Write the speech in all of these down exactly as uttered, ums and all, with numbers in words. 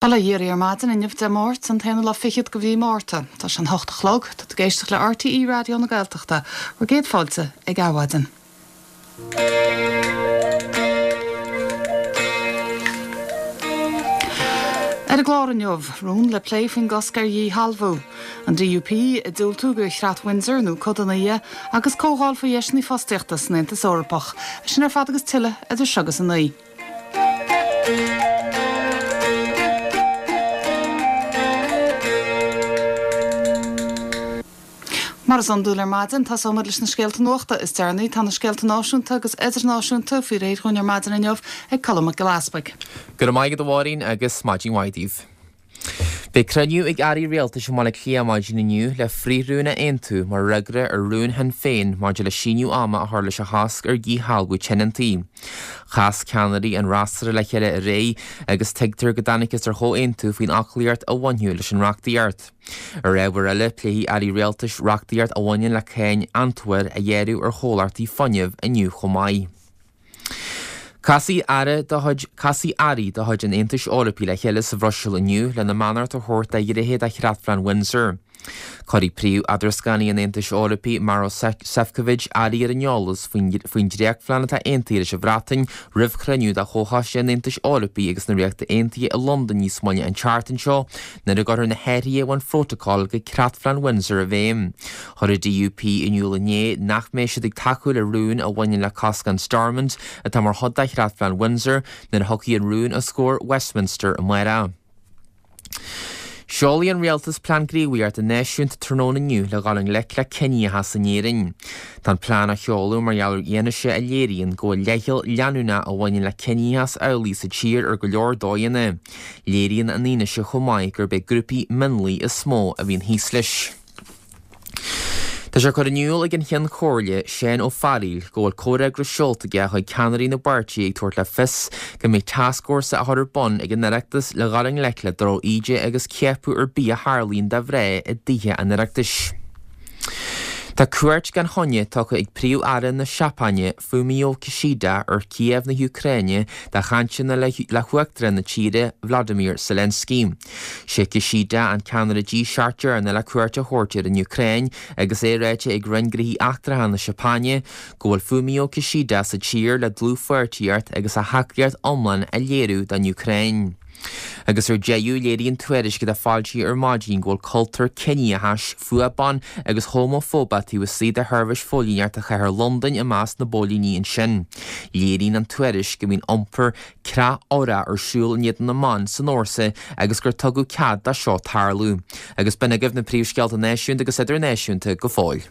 Bail ó Dhia oraibh ar maidin inniu Dé Máirt an t-aonú lá fichead de mhí Márta. Tá sé an hocht a chlog, tá tú ag éisteacht le RTÉ Raidió na Gaeltachta, bhur gcéad fáilte ag Adhmhaidin. Ar an gclár inniu, rún le plé faoin gcosc ar dhíshealbhú, an DUP ag diúltú do Chreat Windsor nó codanna dhe, agus comhdháil faoi dheiseanna fostaíochta san Aontas Eorpach. Sin ar fad agus tuilleadh idir seo agus a naoi. Mar is iondúil ar maidin, tosóimid leis na scéalta nuachta is deireanaí. Tá na scéalta náisiúnta agus idirnáisiúnta faoi réir dhúinn ar maidin inniu ag Colm Mac Giolla Easpaig. Go raibh maith agat a Mháirín agus maidin mhaith daoibh. Beidh cruinniú ag airí rialtais i mBaile Átha Cliath maidin inniu le frithrún a aontú mar fhreagra ar rún Shinn Féin maidir le síneadh ama a chur leis an chosc ar dhíshealbhú tionóntaí. Chas ceannairí an fhreasúra le chéile aréir agus tuigtear go dtángthas ar chomhaontú faoin fhoclaíocht a bhainfeadh leis an reachtaíocht. Ar ábhar eile, pléifidh airí rialtais reachtaíocht a bhaineann le cáin amhantair a ghearradh ar chomhlachtaí fuinnimh inniu chomh maith. Casfaidh aire de chuid Casfaidh airí de chuid an Aontais Eorpaigh le chéile sa Bhruiséil inniu lena mbeannacht a thabhairt do ghnéithe de Chreatphlean Windsor. Cuirfidh príomh-eadrascánaí an Aontais Eorpaigh, Maros Sefcovic, airí ar an eolas faoin dréachtphlean atá aontaithe leis an Bhreatain roimh chruinniú de Chomhchoiste an Aontais Eorpaigh agus na Ríochta Aontaithe i Londain níos moille an tseachtain seo nuair a gcuirfear na hathruithe a bhain Phrótacal go Creatphlean Windsor i bhfeidhm. Chuir an DUP in iúl inné nach mbeidh siad ag tacú le rún a bhaineann le cosc an Stormont atá mar chuid de Chreatphlean Windsor nuair a thiocfaidh an rún os comhair Westminster amárach. Seolfaidh an Rialtas Plean Gníomhaíochta Náisiúnta tráthnóna inniu le dhul i ngleic le ciníochas in Éirinn. Tá an plean á sheoladh mar gheall ar fhianaise a léiríonn go bhfuil leithcheal leanúnach a bhaineann le ciníochas amhlaidh sa tír ar go leor dóigheanna. Léiríonn an fhianaise chomh maith gurb é grúpaí mionlaigh is mó a bhíonn thíos leis. Tá sé curtha in iúl ag an Cheann Comhairle, Seán Ó Fearghaíl, go bhfuil comhfhreagras seolta aige chuig ceannairí na bpáirtithe ag tabhairt le fios go mbeidh tascfhórsa á chur ar bun ag an Oireachtas le dhul i ngleic le droch-íde agus ciapadh ar bith a tharlaíonn do mhná i dTithe an Oireachtais. Tá cuairt gan choinne tugtha ag Príomh-Aire na Seapáine, Fumio Kishida, ar Kiev na hÚcráine do chainteanna le hUachtarán na tíre, Vladimir Zelensky. Sé Kishida an ceannaire G seacht deireanach le cuairt a thabhairt ar an Úcráin agus é ráite ag Roinn Gnóthaí Eachtracha na Seapáine go bhfuil Fumio Kishida sa tír le dlúthpháirtíocht agus a thacaíocht iomlán a léiriú don Úcráin. Agus ar deireadh, léiríonn tuairisc atá foilsithe ar maidin go bhfuil cultúr ciníochais, fuath ban agus homafóibeach taobh istigh de sheirbhís phóilíneachta chathair Londain i measc na bpóilíní ansin. Léiríonn an tuairisc go mbíonn iompar creach-odhrach ar siúl in éadan na mban san fhórsa agus gur tugadh cead dó seo tarlú. Agus b'in agaibh na príomhscéalta náisiúnta agus idirnáisiúnta go fóill.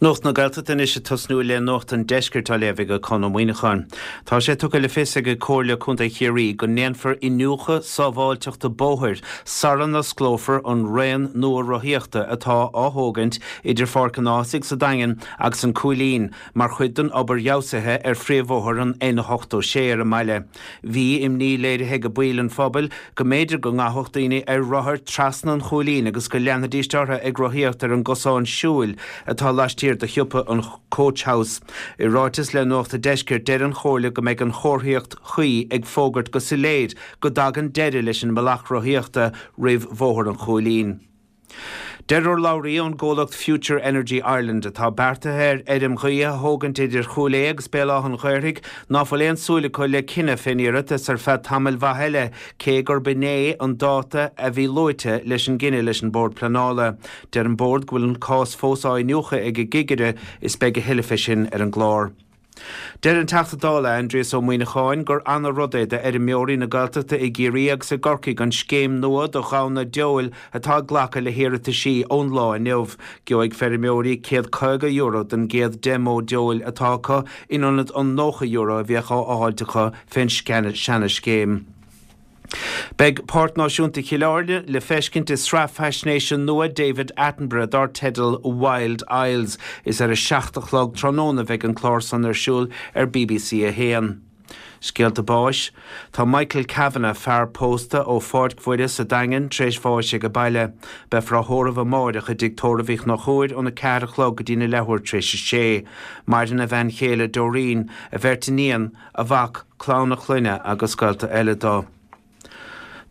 Nuacht na Gaeltachta anois ag tosnú le Nuacht an Deiscirt á léamh ag Conn Ó Muíneacháin. Tá sé tugtha le fios ag Comhairle Contae Chiarraí go ndéanfar iniúchadh sábháilteachta bóthair sara n-osclófar an raon nua rothaíochta atá á thógaint idir Pháirc an Ághasaigh sa Daingean agus an Cúilín mar chuid den obair fheabhsaithe ar phríomhbhóthar an N ochtó sé ar an mbaile. Bhí imní léirithe ag baill an phobail go mb'fhéidir go ngabhfadh daoine ar rothair trasna an Chúilín agus go leanfaidís orthu ag rothaíocht ar an gcosán siúil atá laistiar de shiopa an Coach House. I ráiteas le Nuacht an Deiscirt, deir an Chomhairle go mbeidh an chomharthaíocht chuí ag fógairt go soiléir go dtagann deireadh leis an mbealach rothaíochta roimh Bhóthar an Chúilín. Deir urlabhraí ón gcomhlacht Future Energy Ireland, atá beartaithe ar fheirm ghaoithe a thógaint idir Chúil Aodha agus Béal Átha an Ghaorthaidh, ná fuil aon súil acu le cinneadh fén iarratas ar feadh tamaill mhaith eile, cé gurb inné an dáta a bhí luaite leis an gcinneadh leis an Bord Pleanála. Deir an Bord go bhfuil an cás fós á iniúchadh ag an gcigire is beidh a thuilleadh fé sin ar an gclár. Deir an Teachta Dála Aindrias Ó Muíneacháin gur ana-rud é d'fheirmeoirí na Gaeltachta i gCiarraí agus i gCorcaigh an scéim nua do ghamhna deabhail atá ag glacadh le hiarrataisí ón lá inniu. Gheobhaidh feirmeoirí céad caoga euro don gcéad deich mbó deabhail atá acu in ionad an nócha euro a bhíodh á fháilt acu fén seana-scéim. Beidh Páirc Náisiúnta Chill Airne le feiscint i sraith faisnéise nua David Attenborough dar teideal Wild Isles. Is ar a seacht a chlog tráthnóna a bheidh an clár san ar siúl ar bbc a haon. Scéalta báis. Tá Michael Kavanagh, fear pósta ó Pháirc Mhuire sa Daingean, tar éis bháis age baile. Beifear á thórramh amáireach i dtigh tórraimh Uí Chonchúir óna ceathair a chlog go dtína leathuair tar éis a sé. Maireann a bhean chéile Doreen, a bheirt iníon, a mhac, clann a chlainne agus gaolta eile dó.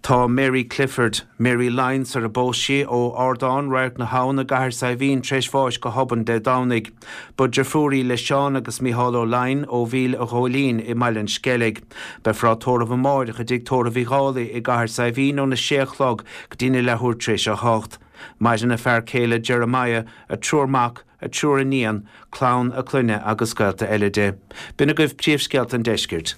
Tá Mary Clifford, Mary Lyons ar a bpós sí ó Ardán Radharc na hAbhann i gCathair Saidhbhín tar éis bháis go hobann Dé Domhnaigh. Ba deirfiúr í le Seán agus Mícheál Ó Laighin ó Mhíl a Ghóilín i mBaile an Sceilg. Beifear á tórramh amáireach i dtigh tórraimh Uí Dhálaigh i gCathair Saidhbhín óna sé a chlog go dtí na leathuair tar éis a hocht. Maireann a fear céile Jeremiah, a triúr mac, a triúr iníon, clann a clainne agus gaolta eile di. B'in agaibh príomhscéalta an deiscirt.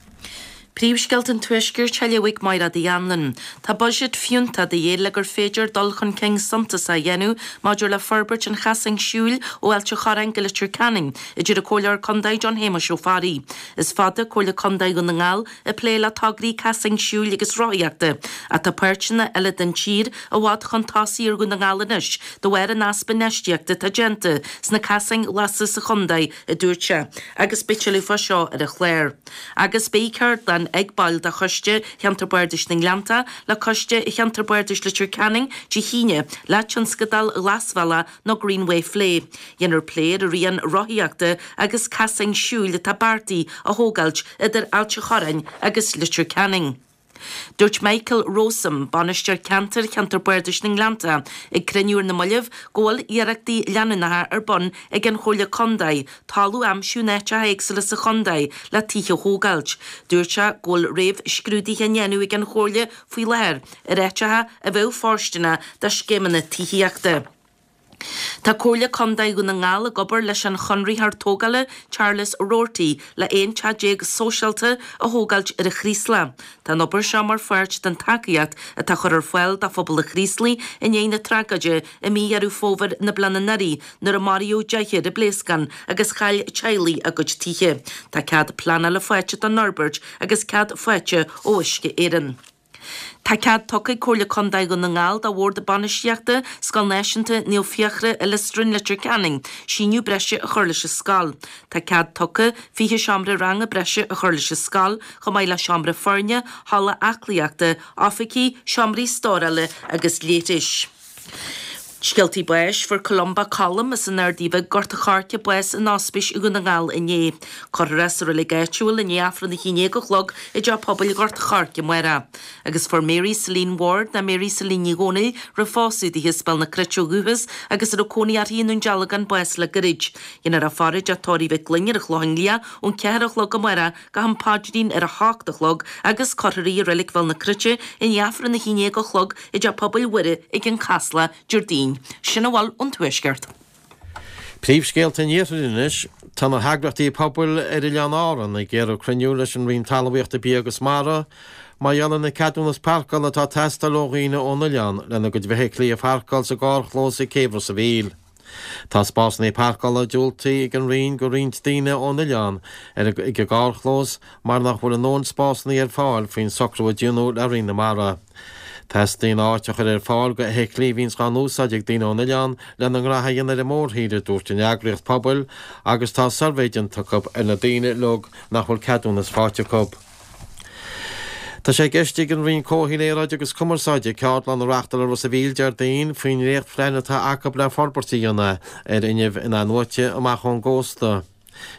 Príomhscéalta an Tuaiscirt á léamh ag Máire Uí Anluain. Tá buiséad fiúntach de dhíth le gur féidir dul chun cinn suntasach a dhéanamh maidir le forbairt an chasáin siúil ó Ailt an Chorráin go Leitir Ceanainn, a deir an Comhairleoir Contae John Shéamuis Ó Fearraigh. Is fada Comhairle Contae Dhún na nGall ag plé le tograí casáin siúil agus rothaíochta, ach tá páirteanna eile den tír i bhfad chun tosaigh ar Dhún na nGall anois de bharr an easpa infheistíochta atá déanta sna casáin ghlasa sa chontae, a dúirt sé, agus beidh tuilleadh fá seo ar an chlár. Agus beidh ceardlann ag baill de Choiste Cheantar Bardais na nGleannta le Coiste Cheantar Bardais Leitir Ceanainn Dé hAoine le tionscadal Ghlasbhealach nó Greenway a phlé. Dhéanfar plé ar an rian rothaíochta agus casáin siúil atá beartaithe a thógáilt idir Ailt an Chorráin agus Leitir Ceanainn. Dúirt Michael Rowsome, bainisteoir ceantair Cheantar Bardais na nGleannta, ag cruinniú ar na mallaibh go bhfuil iarrachtaí leanúnacha ar bun ag an Chomhairle Contae talamh a aimsiú in áiteacha éagsúla sa chontae le tithe a thógáilt. Dúirt sé go bhfuil réamhscrúduithe á ndéanamh ag an Chomhairle faoi láthair ar áiteacha a bheadh fóirsteanach do scéimeanna tithíochta. Tá Comhairle Contae Dhún na nGall ag obair leis an chonraitheoir tógála Charles Roarty le aon teach déag sóisialta a thógáilt ar an Chraoslach. Tá an obair seo mar pháirt den tacaíocht atá á chur ar fáil do phobal an Chraoslaigh i ndiaidh na tragóide i mí Dheireadh Fómhair na bliana anuraidh nuair a maraíodh deichniúr i bpléascán agus chaill teaghlaigh a gcuid tithe. Tá cead pleanála faighte don fhorbairt agus cead faighte ó Uisce Éireann. Tá cead tugtha ag Comhairle Contae Dhún na nGall do Bhord Bainistíochta Scoil Náisiúnta Naomh Fiachra i Lios Dúin Leitir Ceanainn síneadh breise a chur leis an scoil. Tá cead tugtha fiche seomra ranga breise a chur leis an scoil, chomh maith le seomra foirne, halla aclaíochta, oifigí, seomraí stórála agus leithris. Scéaltaí báis fuair Columba Colum as an Ardaí Bhig Gort an Choirce bás in ospís i Dhún na nGall inné. Cuirfear é sa reilig áitiúil i ndiaidh Aifreann a haon déag a chlog i dTeach Pobail Ghort an Choirce amárach. Agus fuair Mary Celine Ward ná Mary Celine Ní Dhomhnaill roimh phósadh di as Béal na Cruite ó dhúchas agus a raibh cónaí uirthi i nDún Dealgan bás le gairid. Dhéanfar a faire i dTeach Tórraimh Mhic Gloinn ar an Chlochán Liath ón ceathair a chlog amárach go ham paidrín ar a hocht a chlog agus cuirfear í i reilig Bhéal na Cruite i ndiaidh Aifreann a haon déag a chlog i dTeach Pobail Mhuire ag an Chasla Déardaoin. Sin a bhfuil ón Tuaisceart. Príomhscéalta an Iarthair anois, tá na heagraíochtaí pobail ar Oileáin Árann ag iarraidh cruinniú leis an Roinn Talmhaíochta Bia agus Mara mar gheall ar na ceadúnas páirceála atá ag teastáil ó dhaoine ón oileán lena gcuid feithiclí a pháirceáil sa gcarrchlós ag Céibh Ros an Mhíl. Tá spásanna páirceála diúltaithe ag an Roinn go roinnt daoine ón oileán ar ag an gcarrchlós mar nach bhfuil a ndóthain spásanna ar fáil faoin socrú a déanadh le Roinn na Mara. Teastaíonn áit a chur ar fáil go fheithiclí a bhíonns á n-úsáid ag daoine ón oileán lena ngraithe a dhéanamh ar an mórthír, a dúirt an eagraíocht pobail, agus tá suirbhé déanta acu ar na daoine uilig nach bhfuil ceadúnas faighte acu. Tá sé i gceist ag an Roinn Comhshaoil, Aeráide agus Cumarsáide ceardlann a reáchtáil i Ros an Mhíl Déardaoin faoin ndréachtphlean atá acu le forbairt a dhéanamh ar fhuinneamh in-athnuaite amach ón gcósta.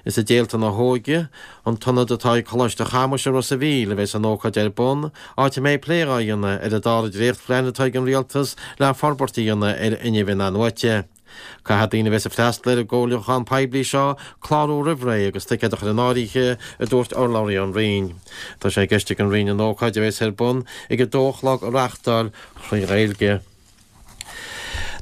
Is i dTéalta na hÓige, an t-ionad atá ag Coláiste Chamuis i Ros an Mhíl, a bheas an ócáid ar bun, áit a mbeidh plé á dhéanamh ar an dara dréachtphlean atá ag an Rialtas le forbairt a dhéanamh ar fhuinneamh in-athnuaite. Caithfidh daoine a bheas ag freastal ar an gcomhairliúchán poiblí seo clárú roimh ré agus ticéad a chur in áirithe, a dúirt urlabhraí ón Roinn. Tá sé i gceist ag an Roinn an ócáid a bheas ar bun ag a dó a chlog a reáchtáil trí Ghaeilge.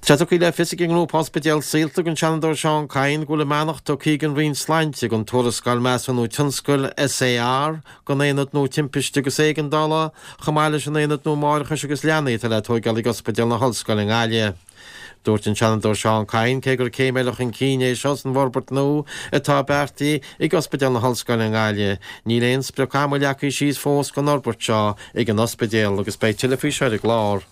Tá sé tugtha le fios ag an ngrúpa Ospidéal Saolta don Seanadóir Seán Kyne go bhfuil a mbeannacht tugtha ag an Roinn Sláinte don tuarascáil Measúnú Tionscail, SAR, don Aonad Nua Timpiste agus Éigeandála, chomh maith leis an Aonad Nua Máithreachais agus Leanaí atá le tóigeáil ag Ospidéal na hOllscoile i nGaillimh. Dúirt an Seanadóir Seán Kyne cé gur céim eile chun cinn é seo san bhforbairt nua atá beartaithe ag Ospidéal na hOllscoile i nGaillimh, níl aon sprioc ama leagtha síos fós don fhorbairt seo ag an ospidéal agus beidh tuilleadh faoi seo ar an gclár.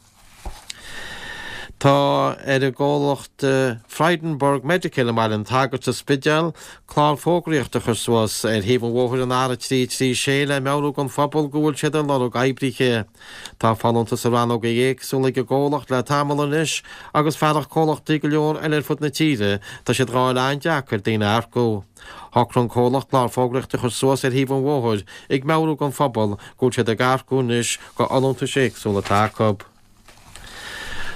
Tá ar an gcomhlacht Frydenberg Medical i mBaile an tSagairt sa Spidéal clár fógraíochta a chur suas ar thaobh an bhóthair an R trí trí sé le meabhrú don phobal go bhfuil siad ag lorg oibrithe. Tá folúntais i rannóga éagsúla ag an gcomhlacht le tamall anois agus fearacht comhlachtaí go leor eile ar fud na tíre, tá siad dhá fháil an-deacair daoine a earcú. Shocraigh an comhlacht clár fógraíochta a chur suas ar thaobh an bhóthair ag meabhrú don phobal go bhfuil siad ag earcú anois go fholúntais éagsúla atá acu.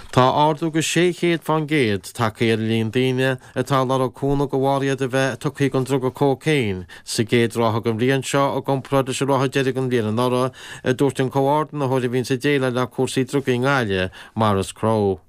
Tá ardú go sé chéad fán gcéad tagtha ar an líon daoine atá ag lorg cúnamh de bharr iad a bheith tugtha don druga cócaon sa gcéad ráithe den bhliain seo i gcomparáid leis an ráithe deiridh den bhliain anuraidh, a dúirt an comhordaitheoir a bhíonns ag déileáil le cúrsaí drugaí i nGaillimh, Maurice Crowe.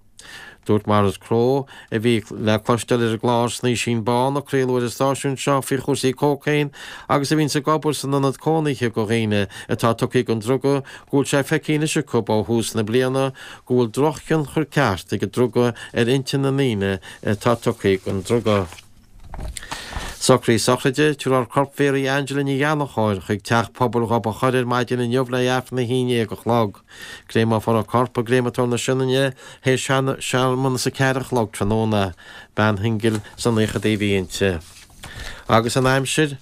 Dúirt Maurice Crowe, a bhí le cloisteáil ar an gclár Snaoisín Bán a craoladh ar an stáisiún seo faoi chúrsaí cócaoin agus a bhíonns ag obair san ionad cónaithe do dhaoine atá tugtha don druga, go bhfuil sé feicthe anois acu ó thús na bliana go bhfuil drochthionchar ceart ag an druga ar intinn na ndaoine atá tugtha don druga. Socruithe sochraide, Tabharfar corp Mhéaraí Angela Ní Ghallchóir chuig Teach Pobail Ghob an Choire ar maidin inniu le Aifreann a haon déag a chlog. Créameofar a corp i gCréamatóir na Sionainne théis searmanas a ceathair a chlog tráthnóna. Bean shingil sna naochadaí a bhí inti. Agus an aimsir?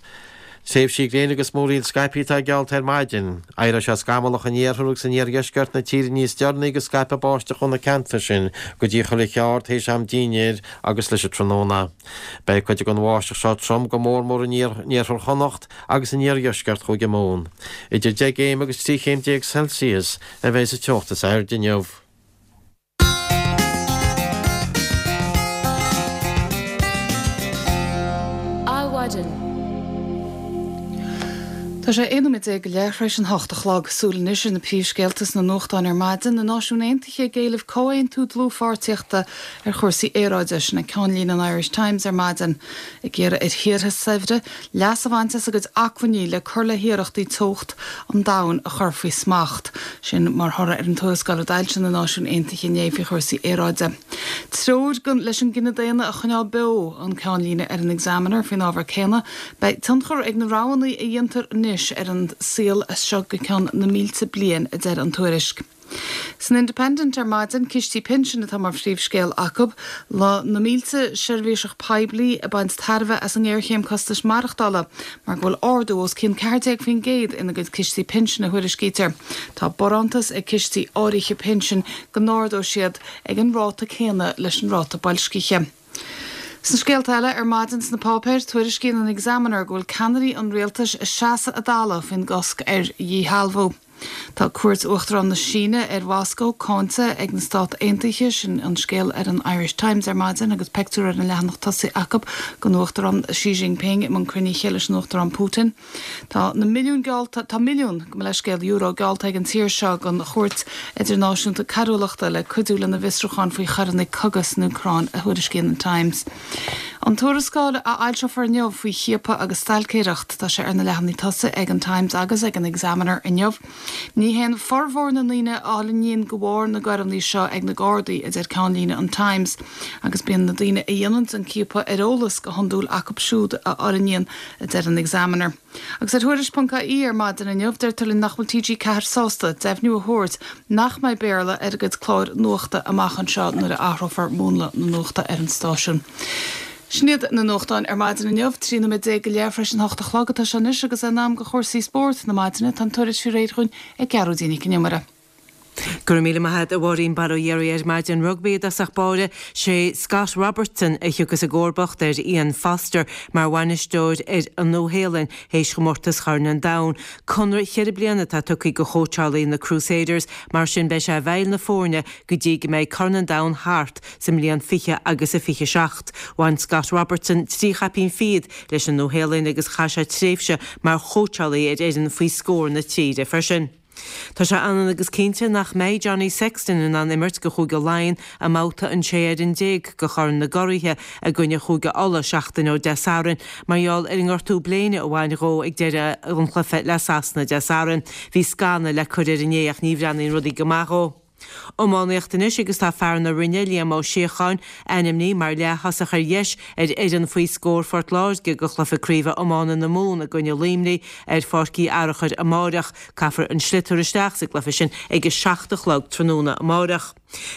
Tréimhsí gréine agus múraíl scaipthe atá geallta ar maidin. Éireoidh sé scamallach in iarthar agus in iardheisceart na tíre níos deireanaí agus scaipfidh báisteach ó na ceantair sin go dtí an Chloich Ard théis am dinnéir agus leis an tráthnóna. Beidh cuid den bháisteach seo trom go mór mór in iarthar Chonnacht agus in iardheisceart Chúige Mumhan. Idir deich gcéim agus trí chéim déag Celsius a bheidh sa teocht is airde inniu. Adhmhaidin. Tá sé aon nóiméad déag go leith tar éis an hocht a chlog. Súil anois ar na príomhscéalta sna nuachtáin ar maidin. Na Náisiúin Aontaithe ag éileamh comhaontú dlúthpháirtíochta ar chúrsaí aeráide. Sin é ceannlíne an Irish Times ar maidin. Ag iarraidh ar thíortha saibhre leas a bhaint as a gcuid acmhainní le cur le hiarrachtaí teocht an domhain a chur faoi smacht. Sin mar thoradh ar an tuarascáil a d'fhoilsigh na Náisiúin Aontaithe inné faoi chúrsaí aeráide. Treoir leis an gcine daonna a choinneáil beo an ceannlíne ar an Examiner faoin ábhar céanna. Beidh tionchar ag na roghanna a dhéantar anois ar an saol as seo go ceann na mílte bliain, a deir an tuairisc. San Independent ar maidin, cistí pinsin atá mar phríomhscéal acu, le na mílte seirbhíseach poiblí ag baint tairbhe as an ngéarchéim costais maireachtála, mar go bhfuil ardú os cionn ceathair déag faoin gcéad ina gcuid cistí pinsin a thuairiscítear. Tá barántas ag cistí áirithe pinsin go n-ardóidh siad ag an ráta céanna leis an ráta boilscithe. Sna scéalta eile ar maidin sna páipéir, tuairiscíonn an Examiner go bhfuil ceannairí an rialtais ag seasamh a dtalamh faoin gcosc ar dhíshealbhú. Tá cuairt Uachtarán na Síne ar Mhoscó cáinte ag na Stát Aontaithe, sin an scéal ar an Irish Times ar maidin agus pictiúr ar an leathanach tosaigh acu den Uachtarán Xi Jinping i mbun cruinnithe leis an Uachtarán Putin. Tá na milliúin geallta, tá milliún, gabh mo leithscéal, euro geallta ag an tír seo don Chúirt Idirnáisiúnta Coiriúlachta le cuidiú lena bhfiosrúchán faoi choireanna cogaidh san Úcráin, a thuairiscíonn an Times. An tuarascáil a fhoilseofar inniu faoi chiapadh agus stailcéireacht, tá sé ar na leathanaigh tosaigh ag an Times agus ag an Examiner inniu. Ní théann formhór na ndaoine a fhulaingíonn de bharr na gcoireanna seo ag na Gardaí, a deir ceannlíne an Times, agus bíonn na daoine a dhéanann an ciapadh ar eolas go hiondúil acu siúd a fhulaingíonn, a deir an Examiner. Agus ar Thuairisc ponc ie ar maidin inniu, deirtear linn nach bhfuil T G ceathair sásta deimhniú a thabhairt nach mbeidh Béarla ar a gcuid cláir nuachta amach anseo nuair a athrófar múnla na nuachta ar an stáisiún. Sin iad na nuachtáin ar maidin inniu, trí nóiméad déag go leith tar éis an hocht a chlog atá sé anois agus in am do chúrsaí spóirt na maidine, tá an tuairisc faoi réir dhúinn ag Gearóidín Nic an Iomaire. Go raibh míle maith agat a Mháirín. Bail ó Dhia oraibh ar maidin. Rugbaí i dtosach báire, sé Scott Robertson a thiocfas i gcomharbacht ar Ian Foster mar bhainisteoir ar an Nua-Shéalainn théis chomórtas Chorn an Domhain. Conradh cheithre bliana atá tugtha do chóitseálaí na Crusaders, mar sin beidh sé i bhfeighil na foirne go dtí go mbeidh Corn an Domhain thart sa mbliain fiche agus a fiche seacht. Bhain Scott Robertson trí chaipín fichead leis an Nua-Shéalainn agus chaith sé tréimhse mar chóitseálaí ar fhoireann faoi scór na tíre freisin. Tá sé ionann agus cinnte nach mbeidh Johnny Sexton in ann imirt do Chúige Laighean i mbabhta an sé fhoireann déag de Chorn na gCuraithe i gcoinne Chúige Uladh seachtain ó Dé Sathairn mar gheall ar an ngortú bléine a bhain dhó ag deireadh an chluiche le Sasana Dé Sathairn. Bhí scanadh le cur air inné ach ní bhreathnaíonn rudaí go maith dhó. Iománaíocht anois agus tá fear na Rinne, Liam Ó Síocháin, ainmnithe mar leath-thosach ar dheis ar fhoireann faoi scór Phort Láirge do chluiche craoibhe iomána na Mumhan i gcoinne Luimnigh ar Pháirc Uí Fhearachair amáireach. Caithfear an sliotar isteach sa gcluiche sin ag a seacht a chlog tráthnóna amáireach.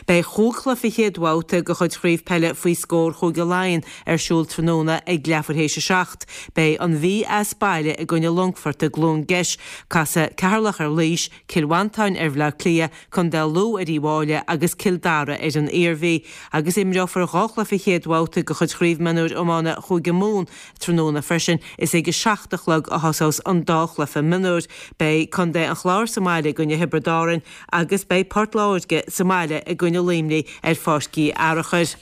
Beidh chúig chluiche chéad bhabhta de chuid Chraobh Peile faoi scór Chúige Laighean ar siúl tráthnóna ag leathuair théis a seacht. Beidh an Mhí as baile i gcoinne Longfoirt i gCluain Geis. Casfaidh Ceatharlach ar Laois, Cill Mhantáin ar Bhleá Cliath, Contae Lú ar Uíbh Fhailí agus Cill Dara ar an Iarmhí. Agus imreofar dhá chluiche chéad bhabhta de chuid Chraobh Mionúir Iomána Chúige Mumhan tráthnóna freisin. Is ag a seacht a chlog a thosós an dá chluiche mionúir. Beidh Contae an Chláir sa mbaile i gcoinne Thiobraid Árann agus beidh Port Láirge sa mbaile i gcoinne Luimnigh ar Pháirc Uí Fhearachair.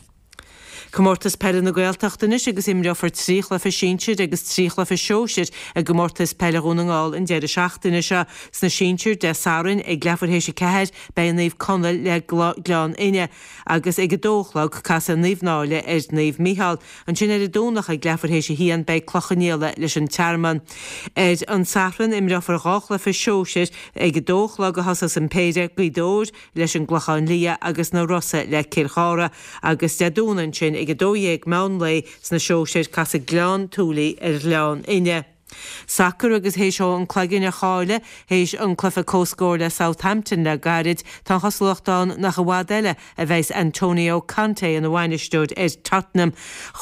Comórtas Peile na Gaeltachta anois agus imreofar trí chluiche sinsir agus trí chluiche sóisir i gcomórtas peile Dhún na nGall an deireadh seachtaine seo. Sna sinsir Dé Sathairn ag leathuair théis a ceathair beidh Naomh Conaill le Gleann Fhinne agus ag a dó a chlog casfaidh Naomh Náille ar Naomh Micheál. Ansin ar an Domhnach ag leathuair théis a haon beidh Cloich Cheann Fhaola leis an Tearmann. Ar an Satharn imreofar dhá chluiche sóisir ag a dó a chlog a thosós an péire, Gaoth Dobhair leis an gClochán Liath agus na Rosa le Cill Chartha agus Dé Domhnaigh ansin ag a dó dhéag meán lae sna sóisir casfaidh Gleann tSúilí ar Ghleann Fhinne. Sacar agus théis dó an cloigeann a chailleadh théis an cluiche comhscóir le Southampton le gairid, tá an chosúlacht ann nach i bhfad eile a bheas Antonio Conte ina bhainisteoir ar Tottenham.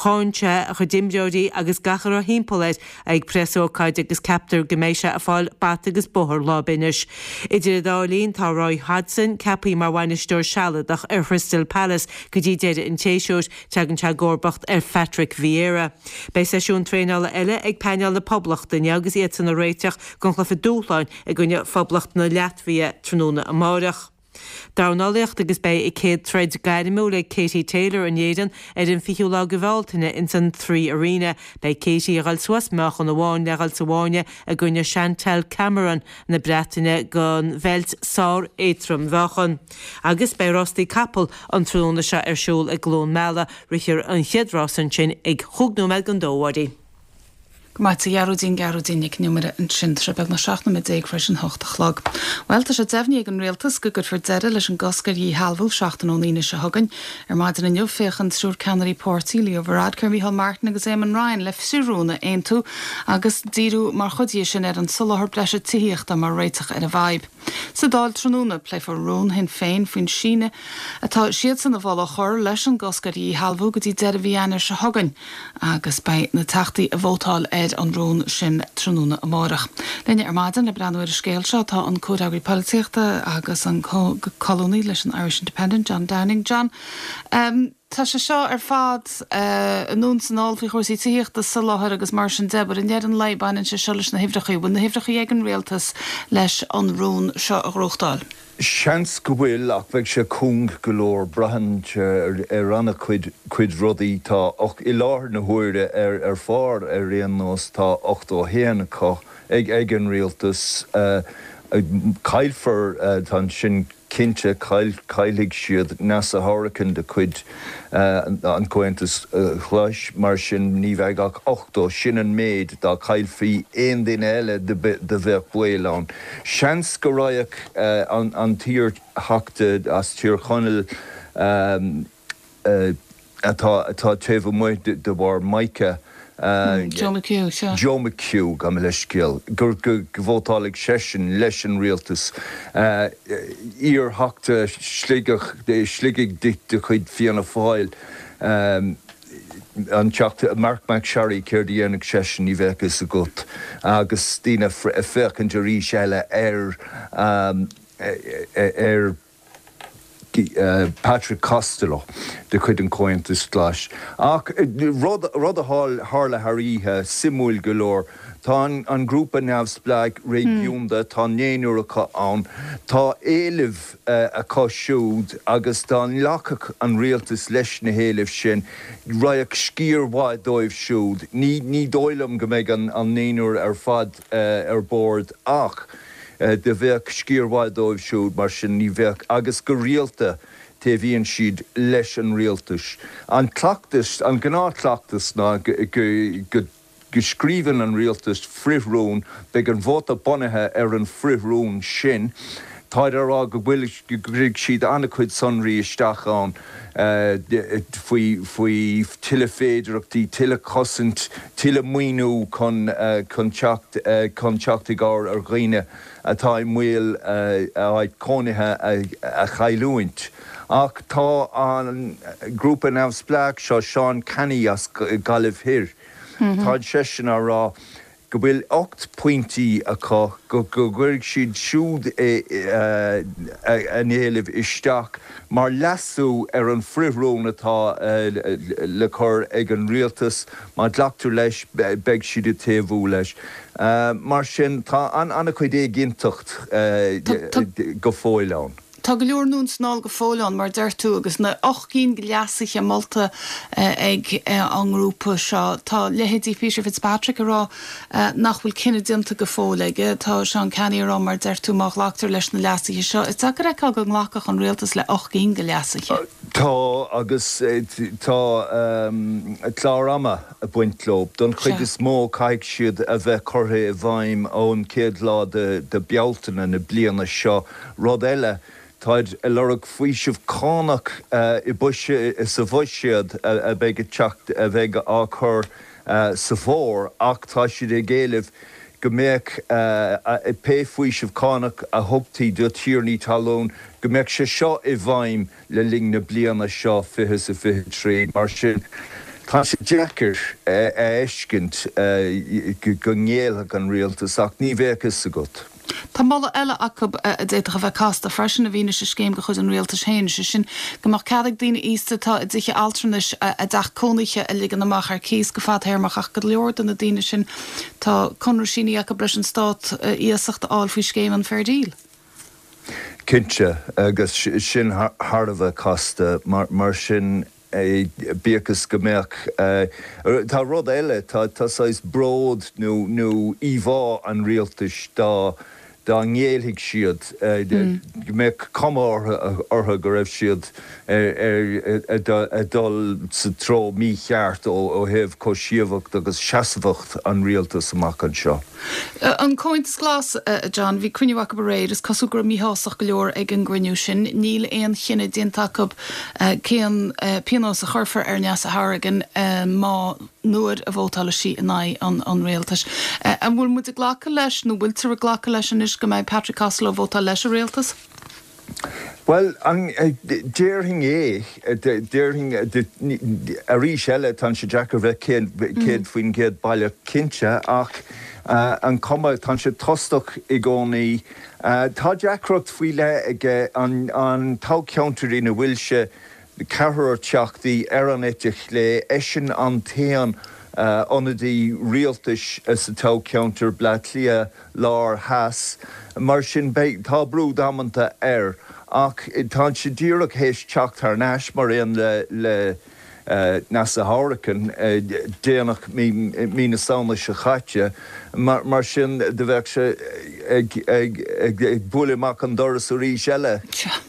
Cháin sé a chuid imreoirí agus gach a raibh thimpeall air ag preasócáid agus ceaptar go mbeidh sé ag fáil bata agus bóthar lá ar bith anois. Idir an dá linn tá Roy Hodgson ceaptha mar bhainisteoir sealadach ar Chrystal Palace go dtí deireadh an tséasúir. Tagann sé i gcomharbacht ar Phatrick Vieira. Beidh seisiún traenála eile ag painéal na Poblachta inniu agus iadsan ag réiteach don chluiche dúshláin i gcoinne Phoblacht na Laitvia tráthnóna amáireach. Dornálaíocht agus beidh a céad troid gairmiúil ag Katie Taylor in Éirinn ar an fichiú lá de Bhealtaine ins an Three Arena. Beidh Katie ag dul suas meáchan amháin le dhul sa bhfáinne i gcoinne Chantelle Cameron na Breataine don bheilt sár-éadrom-mheáchan. Agus beidh rástaí capall an tráthnóna seo ar siúl i gCluain Meala. Rithfear an chéad rás ansin ag chúig nóiméad don dó, a Mháirín. Go maith a Ghearóidín, Gearóidín Nic an Iomaire ansin. Tá sé beagnach seacht nóiméad déag tar éis an hocht a chlog. Bhuel, tá sé deimhnithe ag an Rialtas go gcuirfear deireadh leis an gcosc ar dhíshealbhú seachtain ón Aoine seo chugainn. Ar maidin inniu, féachann triúr ceannairí páirtí, Leo Varadkar, Micheál Martin agus Eamon Ryan, le frithrún a aontú agus díriú mar chuid dhe sin ar an soláthar breise tithíochta mar réiteach ar an bhfadhb. Sa Dáil tráthnóna, pléifear rún Shinn Féin faoin síneadh atá siadsan a mholadh a chur leis an gcosc ar dhíshealbhú go dtí deireadh mhí Eanáir seo chugainn agus beidh na Teachtaí ag vótáil ar an rún sin tráthnóna amárach. Linne ar maidin le breathnú ar an scéal seo tá an comhfhreagraí polaitíochta agus an colúnaí leis an Irish Independent, John Downing. John, um, tá sé seo ar fad anonn is anall faoi chúrsaí tithíochta soláthair agus mar sin de, but i ndeireadh an lae baineann sé seo leis na huimhreacha. Bhfuil na huimhreacha ag an rialtas leis an rún seo a ghnóthachtáil? Seans go bhfuil ach bheadh sé cúng go leor braitheann ar an-chuid cuid rudaí tá i láthair na huaire ar ar phár ar aon nós tá ochtó a haon acu ag ag an rialtas. Caillfear tá sin cinnte, caillfidh siad Neasa Hourican de chuid an Chomhaontais Ghlais, mar sin ní bheidh ach ochtó, sin an méid, dá gcaillfí aon duine eile do bheadh baol ann. Seans go raghadh an t-iar-Theachta as Tír Chonaill, atá taobh amuigh de bharr Mica, Joe McHugh, sea. Joe McHugh, gabh mo leithscéal, go vótálfaidh seisean leis an rialtas. Iar-Theachta Shligigh de chuid Fianna Fáil, an Teachta Marc MacSharry, céard a dhéanfadh seisean, ní bheadh fhios agat. Agus daoine ag féachaint arís eile ar ar Patrick Costello de chuid an Chomhaontais Ghlais. Ach rud a tharla thar oíche, suimiúil go leor, tá an grúpa neamhspleách réigiúnda, tá naonúr acu ann, tá éilimh acu siúd agus dá nglacfadh an rialtas leis na héilimh sin, raghadh sciar mhaith dóibh siúd. Ní dóigh liom go mbeidh an naonúr ar fad ar bord ach, Do bheadh sciar mhaith dóibh siúd, mar sin ní bheadh, agus go rialta taobhaíonn siad leis an rialtas. An cleachtas, an gnáthchleachtas ná go scríobhann an rialtas frith-rún, beidh an vóta bunaithe ar an bhfrith-rún sin. Táid á rá go bhfuil, go gcuirfidh siad an-chuid sonraí isteach ann faoi, faoi tuilleadh féidearthachtaí, tuilleadh cosaint, tuilleadh maoiniú chun, chun teacht, chun teacht i gcabhair ar dhaoine atá i mbaol a áit cónaithe a chailliúint. Ach tá an grúpa neamhspleách seo, Seán Canney as Gaillimh Thoir, tá seisean á rá go bhfuil ocht bpointí acu, go gcuirfidh siad siúd a n-éilimh isteach mar leasú ar an frithrún atá le cur ag an rialtas. Má ghlactar leis, beidh siad ag taobhú leis. Mar sin, tá an-chuid éiginnteacht go fóill ann. Tá go leor anonn is anall go fóill ann, mar a deir tú, agus na ocht gcinn de leasuithe molta ag an ngrúpa seo. Tá leithéidí Peter Fitzpatrick ag rá nach bhfuil cinneadh déanta go fóill aige. Tá Seán Canney ag rá, mar a deir tú, má ghlactar leis na leasuithe seo, is deacair a fheiceáil go nglacfadh an rialtas le ocht gcinn de leasuithe. Tá, agus tá clár ama ag baint leo. Don chuid is mó, caithfidh siad a bheith curtha i bhfeidhm ón chéad lá de Bealtaine na bliana seo. Rud eile, táid ag lorg faoiseamh cánach i sa bhuiséad a bheidh ag teacht, a bheidh á chur sa bhfómhar, ach tá siad ag éileamh go mbeadh pé faoiseamh cánach a thugtaí do thiarnaí talún, go mbeadh sé seo i bhfeidhm le linn na bliana seo fiche is a fiche trí. Mar sin, tá sé deacair a fheiscint go ngéillfeadh an rialtas, ach ní bheadh fhios agat. Tá moladh eile acu a d'fhéadfadh a bheith casta freisin i bhfianaise scéim de chuid an rialtais féin, sé sin go mbeadh cead ag daoine aosta atá i dtithe altranais a dteach cónaithe a ligean amach ar cíos go fadtéarmach ach go leor de na daoine sin tá conradh sínithe acu leis an stát iasacht a fháil faoi scéim an Fair Deal. Cinnte, agus sin thar a bheith casta mar sin. Bíodh is go mbeadh, tá rud eile, tá saghas bród nó nó íomhá an rialtais dá dá ngéillfeadh siad, go mbeadh cuma orthu go raibh siad ag dul sa treo mícheart ó thaobh cobhsaíocht agus seasmhacht an rialtais amach anseo. An Comhaontas Glas, a John, bhí cruinniú acu aréir, is cosúil go raibh míshástacht go leor ag an gcruinniú sin. Níl aon chinneadh déanta acu cén pionós a chuirfear ar Neasa Hourigan má, nuair a vótálfaidh sí in aghaidh an rialtais. An bhfuil muid ag glacadh leis, nó bhfuiltear ag glacadh leis anois go mbeidh Patrick Costello ag vótáil leis an rialtas? Bhuel, déarfainn é, déarfainn, arís eile, tá sé deacair bheith céad faoin gcéad baileach cinnte, ach an cuma, tá sé tostach i gcónaí. Tá deacracht faoi leith aige an toghcheantar ina bhfuil sé, ceathrar teachtaí ar an eite chlé, eisean an t-aon ionadaí rialtais sa toghcheantar, Bleá Cliath Lár Theas. Mar sin, beidh, tá brú damanta air. Ach tá sé díreach théis teacht thar n-ais, mar aon le le Neasa Hourigan, déanach mí na Samhna seo chaite. Mar sin, do bheadh sé ag ag ag bualadh amach an doras arís eile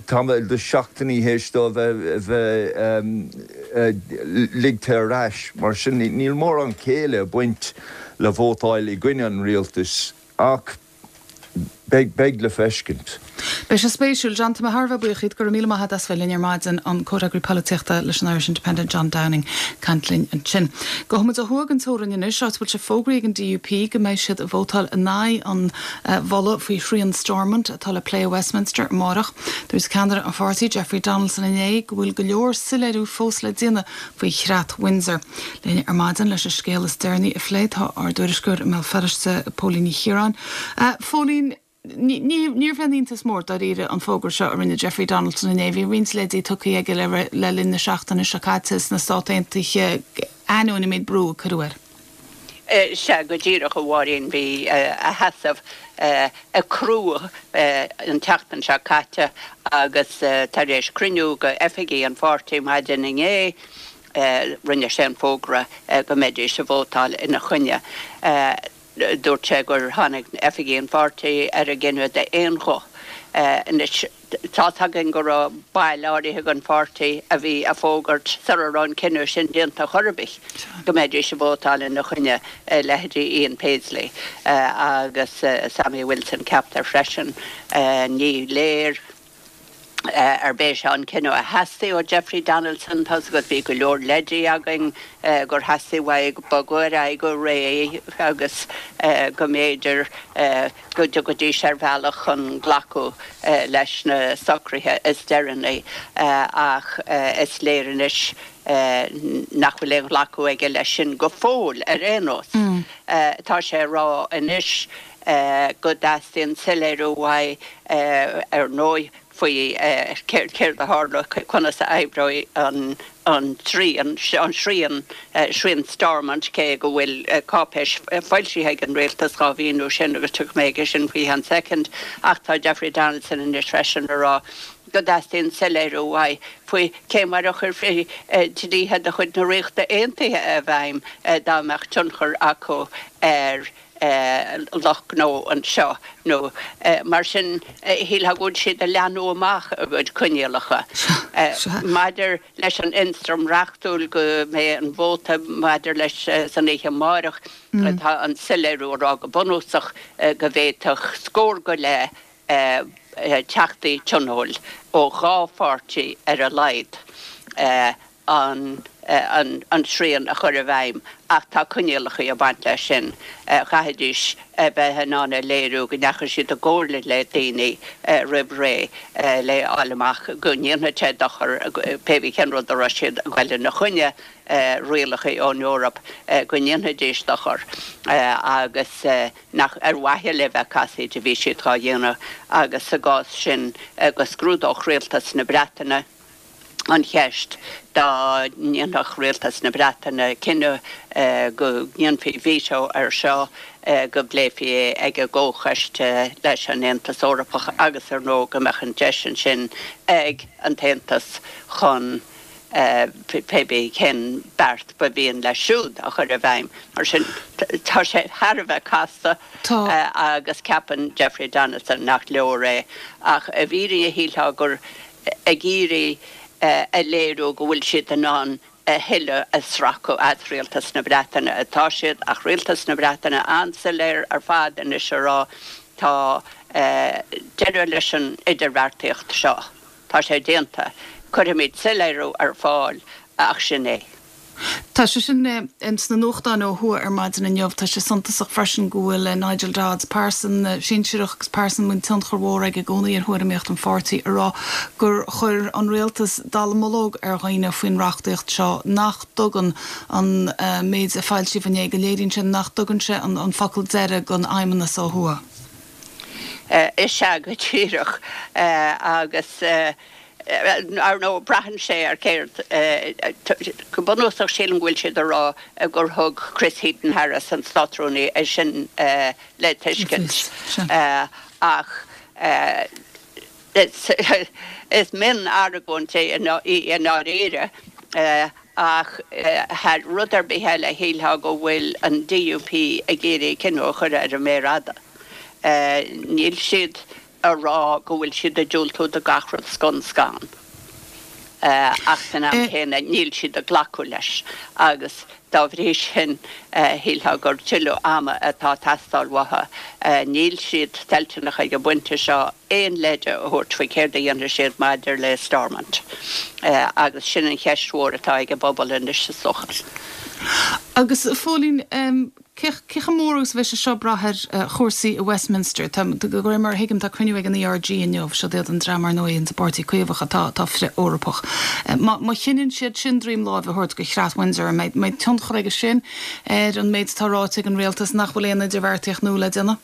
tamall de seachtainí théis dó a bheith ligthe ar ais. Mar sin, níl mórán céille ag baint le vótáil i gcoinne an rialtais ach beidh, beidh le feiscint. Beidh sé spéisiúil. John, tá mé thar a bheith buíoch díot. Go raibh míle maith agat as bheith linn ar maidin, an Comhfhreagraí Polaitíochta leis an Irish Independent, John Downing, ag caint linn ansin. Gabhfaidh muid ó thuaidh den teorainn anois, áit a bhfuil sé fógraithe ag an DUP go mbeidh siad ag vótáil in aghaidh an mholadh faoi shrian Stormont atá le plé i Westminster amárach. Dúirt ceannaire an pháirtí, Jeffrey Donaldson inné go bhfuil go leor soiléiriú fós le déanamh faoi chreat Windsor. Linn ar maidin leis an scéal is deireanaí a phlé tá ár dtuairisceoir i mBéal Feirste, Póilín Ní Chiaráin. Phóilín, níorbh aon iontas mór dáiríre an fógra seo a rinne Jeffrey Donaldson inné. Bhí roinnt leidí tugtha aige le linn na seachtaine seo caite sna Stáit Aontaithe ainneoin an méid brú a cuireadh air. Sea, go díreach, a Mháirín, bhí a sheasamh ag crú an tseachtain seo caite agus tar éis cruinniú de oifigigh an pháirtí maidin inné, rinne sé an fógra go mbeidís ag vótáil ina choinne. Dúirt sé gur tháinig oifigigh an pháirtí ar an gcinneadh d'aon ghuth. Anois, tá's againn go raibh baill áirithe den pháirtí a bhí ag fógairt sara raibh an cinneadh sin déanta chor ar bith go mbeidís ag vótáil ina choinne, leithéidí Ian Paisley agus Sammy Wilson, ceaptar freisin. Ní léir. Arb é seo an cinneadh a theastaigh ó Jeffrey Donaldson? Tá's agat, bhí go leor leidí againn gur theastaigh uaidh bogadh ar aghaidh go réidh agus go mb'fhéidir go dtiocfaidís ar bhealach chun glacadh leis na socruithe is deireanaí ach is léir anois nach bhfuil aon ghlacadh aige leis sin go fóill ar aon nós. Tá sé ag rá anois go dteastaíonn soiléiriú uaidh ar ndóigh faoi céard a tharla, conas a oibreoidh an an srian, an srian, srian Stormont, cé go bhfuil cáipéis foilsithe ag an rialtas dhá mhíniú sin agus tiocfaidh mé aige sin faoi cheann soicind, ach tá Jeffrey Donaldson anois freisin ag rá go dteastaíonn soiléiriú uaidh faoi cé mar a chuirfí dlíthe de chuid na Ríochta Aontaithe i bhfeidhm dá mbeadh tionchar acu ar lucht gnó anseo nó mar sin shílfeá go bhfuil siad ag leathnú amach a gcuid coinníollacha. Maidir leis an ionstraim reachtúil go mbeidh an vóta maidir leis san oíche amárach, tá an soiléiriú ag rá go bunúsach go bhféadfadh scór go leith teachtaí tionóil ó dhá pháirtí ar a laghad an an srian a chur i bhfeidhm ach tá coinníollacha ag baint leis sin. Chaithfidís a bheith in ann a léiriú go ndeachaigh siad i gcomhairle le daoine roimh ré le fháil amach go ndéanfadh sé dochar pé bí cén rud a raibh siad ag goil ina choinne, rialacha ón Eoraip, go ndéanfaidís dochar agus nach ar mhaithe le bheith casaoid a bhí siad dhá dhéanamh agus sa gcás sin go scrúdódh Rialtas na Breataine an cheist dá ndéanfadh Rialtas na Breataine cinneadh go ndéanfaí veto air seo, go bpléifí é ag an gComhchoiste leis an Aontas Eorpach agus ar ndóigh go mbeadh an deis ansin ag an tAontas chun pé bí cén beart ba mhian leis siúd a chur i bhfeidhm. Mar sin, tá sé thar a bheith casta agus ceapann Jeffrey Donaldson nach leor é. Ach i bhfírinne shílfeá gur ag iarraidh a léiriú go bhfuil siad in ann a thuilleadh a sracadh as Rialtas na Breataine atá siad, ach Rialtas na Breataine an-soiléir ar fad anois a rá tá deireadh leis an idirbheartaíocht seo, tá sé déanta, cuirfimid soiléiriú ar fáil ach sin é. Tá sé sin sna nuachtáin ó thuaidh ar maidin inniu. Tá sé suntasach freisin go bhfuil Nigel Dodds, pearsan sinsearach agus pearsan a mbíonn tionchar mhór aige i gcónaí ar thuairimíocht an pháirtí, ag rá gur chuir an rialtas dallamullóg ar dhaoine faoin reachtaíocht seo, nach dtugann an méid a foilsíodh inné, go léiríonn sé nach dtugann sé an focal deiridh don Fheidhmeannas ó thuaidh. Is ea go díreach agus. Ar ndóigh, braitheann sé ar céard. Go bunúsach, sílim go bhfuil siad ag rá gur thug Chris Heaton-Harris, an Státrúnaí, é sin le tuiscint. Ach is mion-argóint é í i ndáiríre. Ach thar rud ar bith eile, shílfeá go bhfuil an D U P ag iarraidh cinneadh a chur ar an méar fhada. Níl siad a rá go bhfuil siad ag diúltú do gach rud scun scan, ach san am céanna níl siad ag glacadh leis agus dá bhrí sin shílfeá gur tuilleadh ama atá ag teastáil uathu. Níl siad toilteanach ag an bpointe seo aon leide a thabhairt faoi céard a dhéanfaidh siad maidir le Stormont agus sin an cheist mhór atá ag an bpobal anois is dócha. Agus a Phóilín, cé chomh mór agus a bheidh sé seo ag brath ar chúrsaí i Westminster? Tá, de réir mar a thuigim, tá cruinniú ag an E R G inniu, siod iad an dream ar ndóigh insa bPáirtí Caomhach atá atá frith-Eorpach. Má má chinneann siad sin droim láimhe a thabhairt do chreat Windsor, an mbeidh mbeidh tionchar aige sin ar an méid atá ráite ag an rialtas nach bhfuil aon idirbheartaíocht nua le déanamh?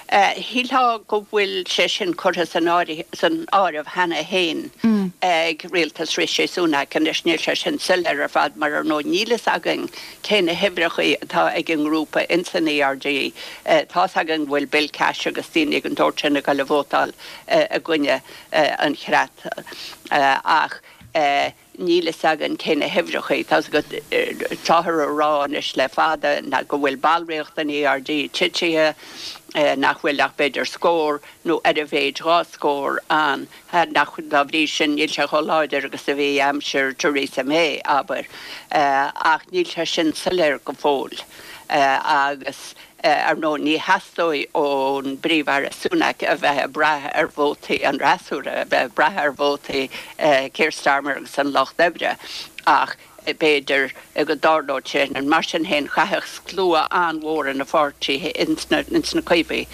Shílfeá go bhfuil sé sin curtha san áireamh cheana féin ag rialtas Rishi Sunak. Anois, níl sé sin soiléir ar fad mar, ar ndóigh, níl fhios againn cé na huimhreacha atá ag an ngrúpa ins an E R G. Tá's againn go bhfuil Bill Cash agus daoine den tsórt sin ag dul a vótáil i gcoinne an chreat ach níl fhios againn cé na huimhreacha. Tá's agat, táthar a rá anois le fada ná go bhfuil ballraíocht an E R G titithe, nach bhfuil ach b'fhéidir scór nó ar a mhéid dhá scór ann, nach dá bhrí sin níl sé chomh láidir agus a bhí aimsir Theresa May, abair. Ach níl sé sin soiléir go fóill agus Ar ndóigh, ní theastóidh ón bPríomh-Aire Sunak a bheith ag brath ar vótaí an fhreasúra, a bheith ag brath ar vótaí Keir Starmer agus an Lucht Oibre, ach b'fhéidir go dtarlódh sé sin. Mar sin féin, chaithfeadh slua an-mhór ina pháirtí ins na Caomhaigh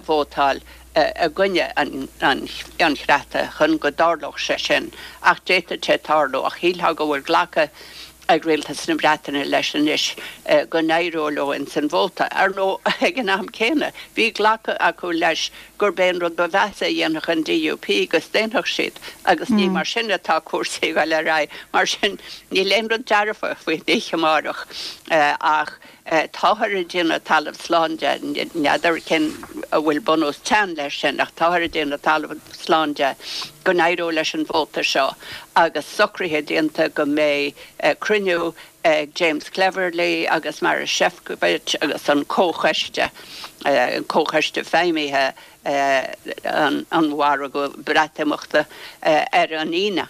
vótáil i gcoinne an chreata chun go dtarlódh sé sin. Ach d'fhéadfadh sé tarlú. Ach shílfeá go bhfuil glactha ag Rialtas na Breataine leis anois go n-éireoidh leo ins an vóta. Ar ndóigh, ag an am céanna, bhí glactha acu leis gurb é an rud ba mheasa a dhéanfadh an DUP go staonfadh siad, agus ní mar sin atá cúrsaí ag dul ar aghaidh. Mar sin, níl aon rud dearfa faoin oíche amárach, ach táthar ag déanamh talamh slán de, n'fheadar cén an bhfuil bunús teann leis sin, ach táthar ag déanamh talamh slán de go n-éireoidh leis an vóta seo agus socruithe déanta go mbeidh cruinniú ag James Cleverly agus Maroš Šefčovič agus an comhchoiste, an comhchoiste feidhmithe an mhargaidh Breatimeachta ar an Aoine.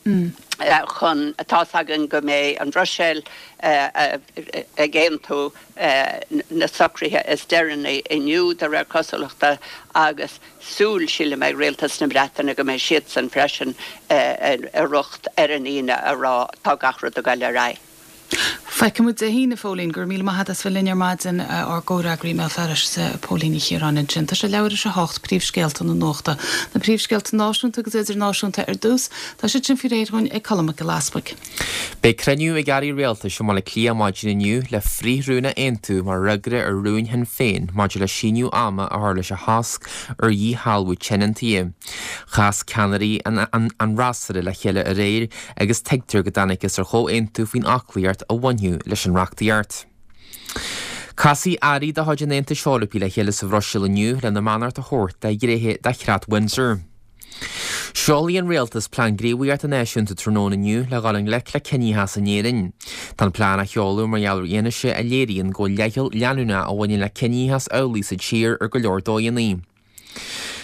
Chun, tá's againn go mbeidh an Bhruiséil ag aontú na socruithe is deireanaí inniu, de réir cosúlachta, agus súil, sílim, ag Rialtas na Breataine go mbeidh siadsan freisin i riocht ar an Aoine a rá tá gach rud ag dul ar aghaidh. Feicfidh muid Dé hAoine, a Phóilín. Go raibh míle maith agat as bheith linn ar maidin, ár gcomhfhreagraí i mBéal Feirste, Póilín Ní Chiaráin ansin. Tá sé leathuair tar éis a hocht, príomhscéalta na nuachta. Na príomhscéalta náisiúnta agus idirnáisiúnta ar dtús, tá siad sin faoi réir dhúinn ag Colm Mac Giolla Easbuig. Beidh cruinniú ag airí rialtais i mBaile Átha Cliath maidin inniu le frith-rún a aontú mar fhreagra ar rún Shinn Féin maidir le síneadh ama a chur leis an chosc ar dhíshealbhú tionóntaí. Chas ceannairí an fhreasúra le chéile aréir agus tuigtear go dtángthas ar chomhaontú faoin aclaíocht a bhainfeadh leis an reachtaíocht. Casfaidh airí de chuid an Aontais Eorpaigh le chéile sa Bhruiséil inniu lena mbeannacht a thabhairt do ghnéithe de Chreat Windsor. Seolfaidh an Rialtas Plean Gníomhaíochta Náisiúnta tráthnóna inniu le dhul i ngleic le ciníochas in Éirinn. Tá an plean á sheoladh mar gheall ar fhianaise a léiríonn go bhfuil leithcheal leanúnach a bhaineann le ciníochas amhlaidh sa tír ar go leor dóigheanna.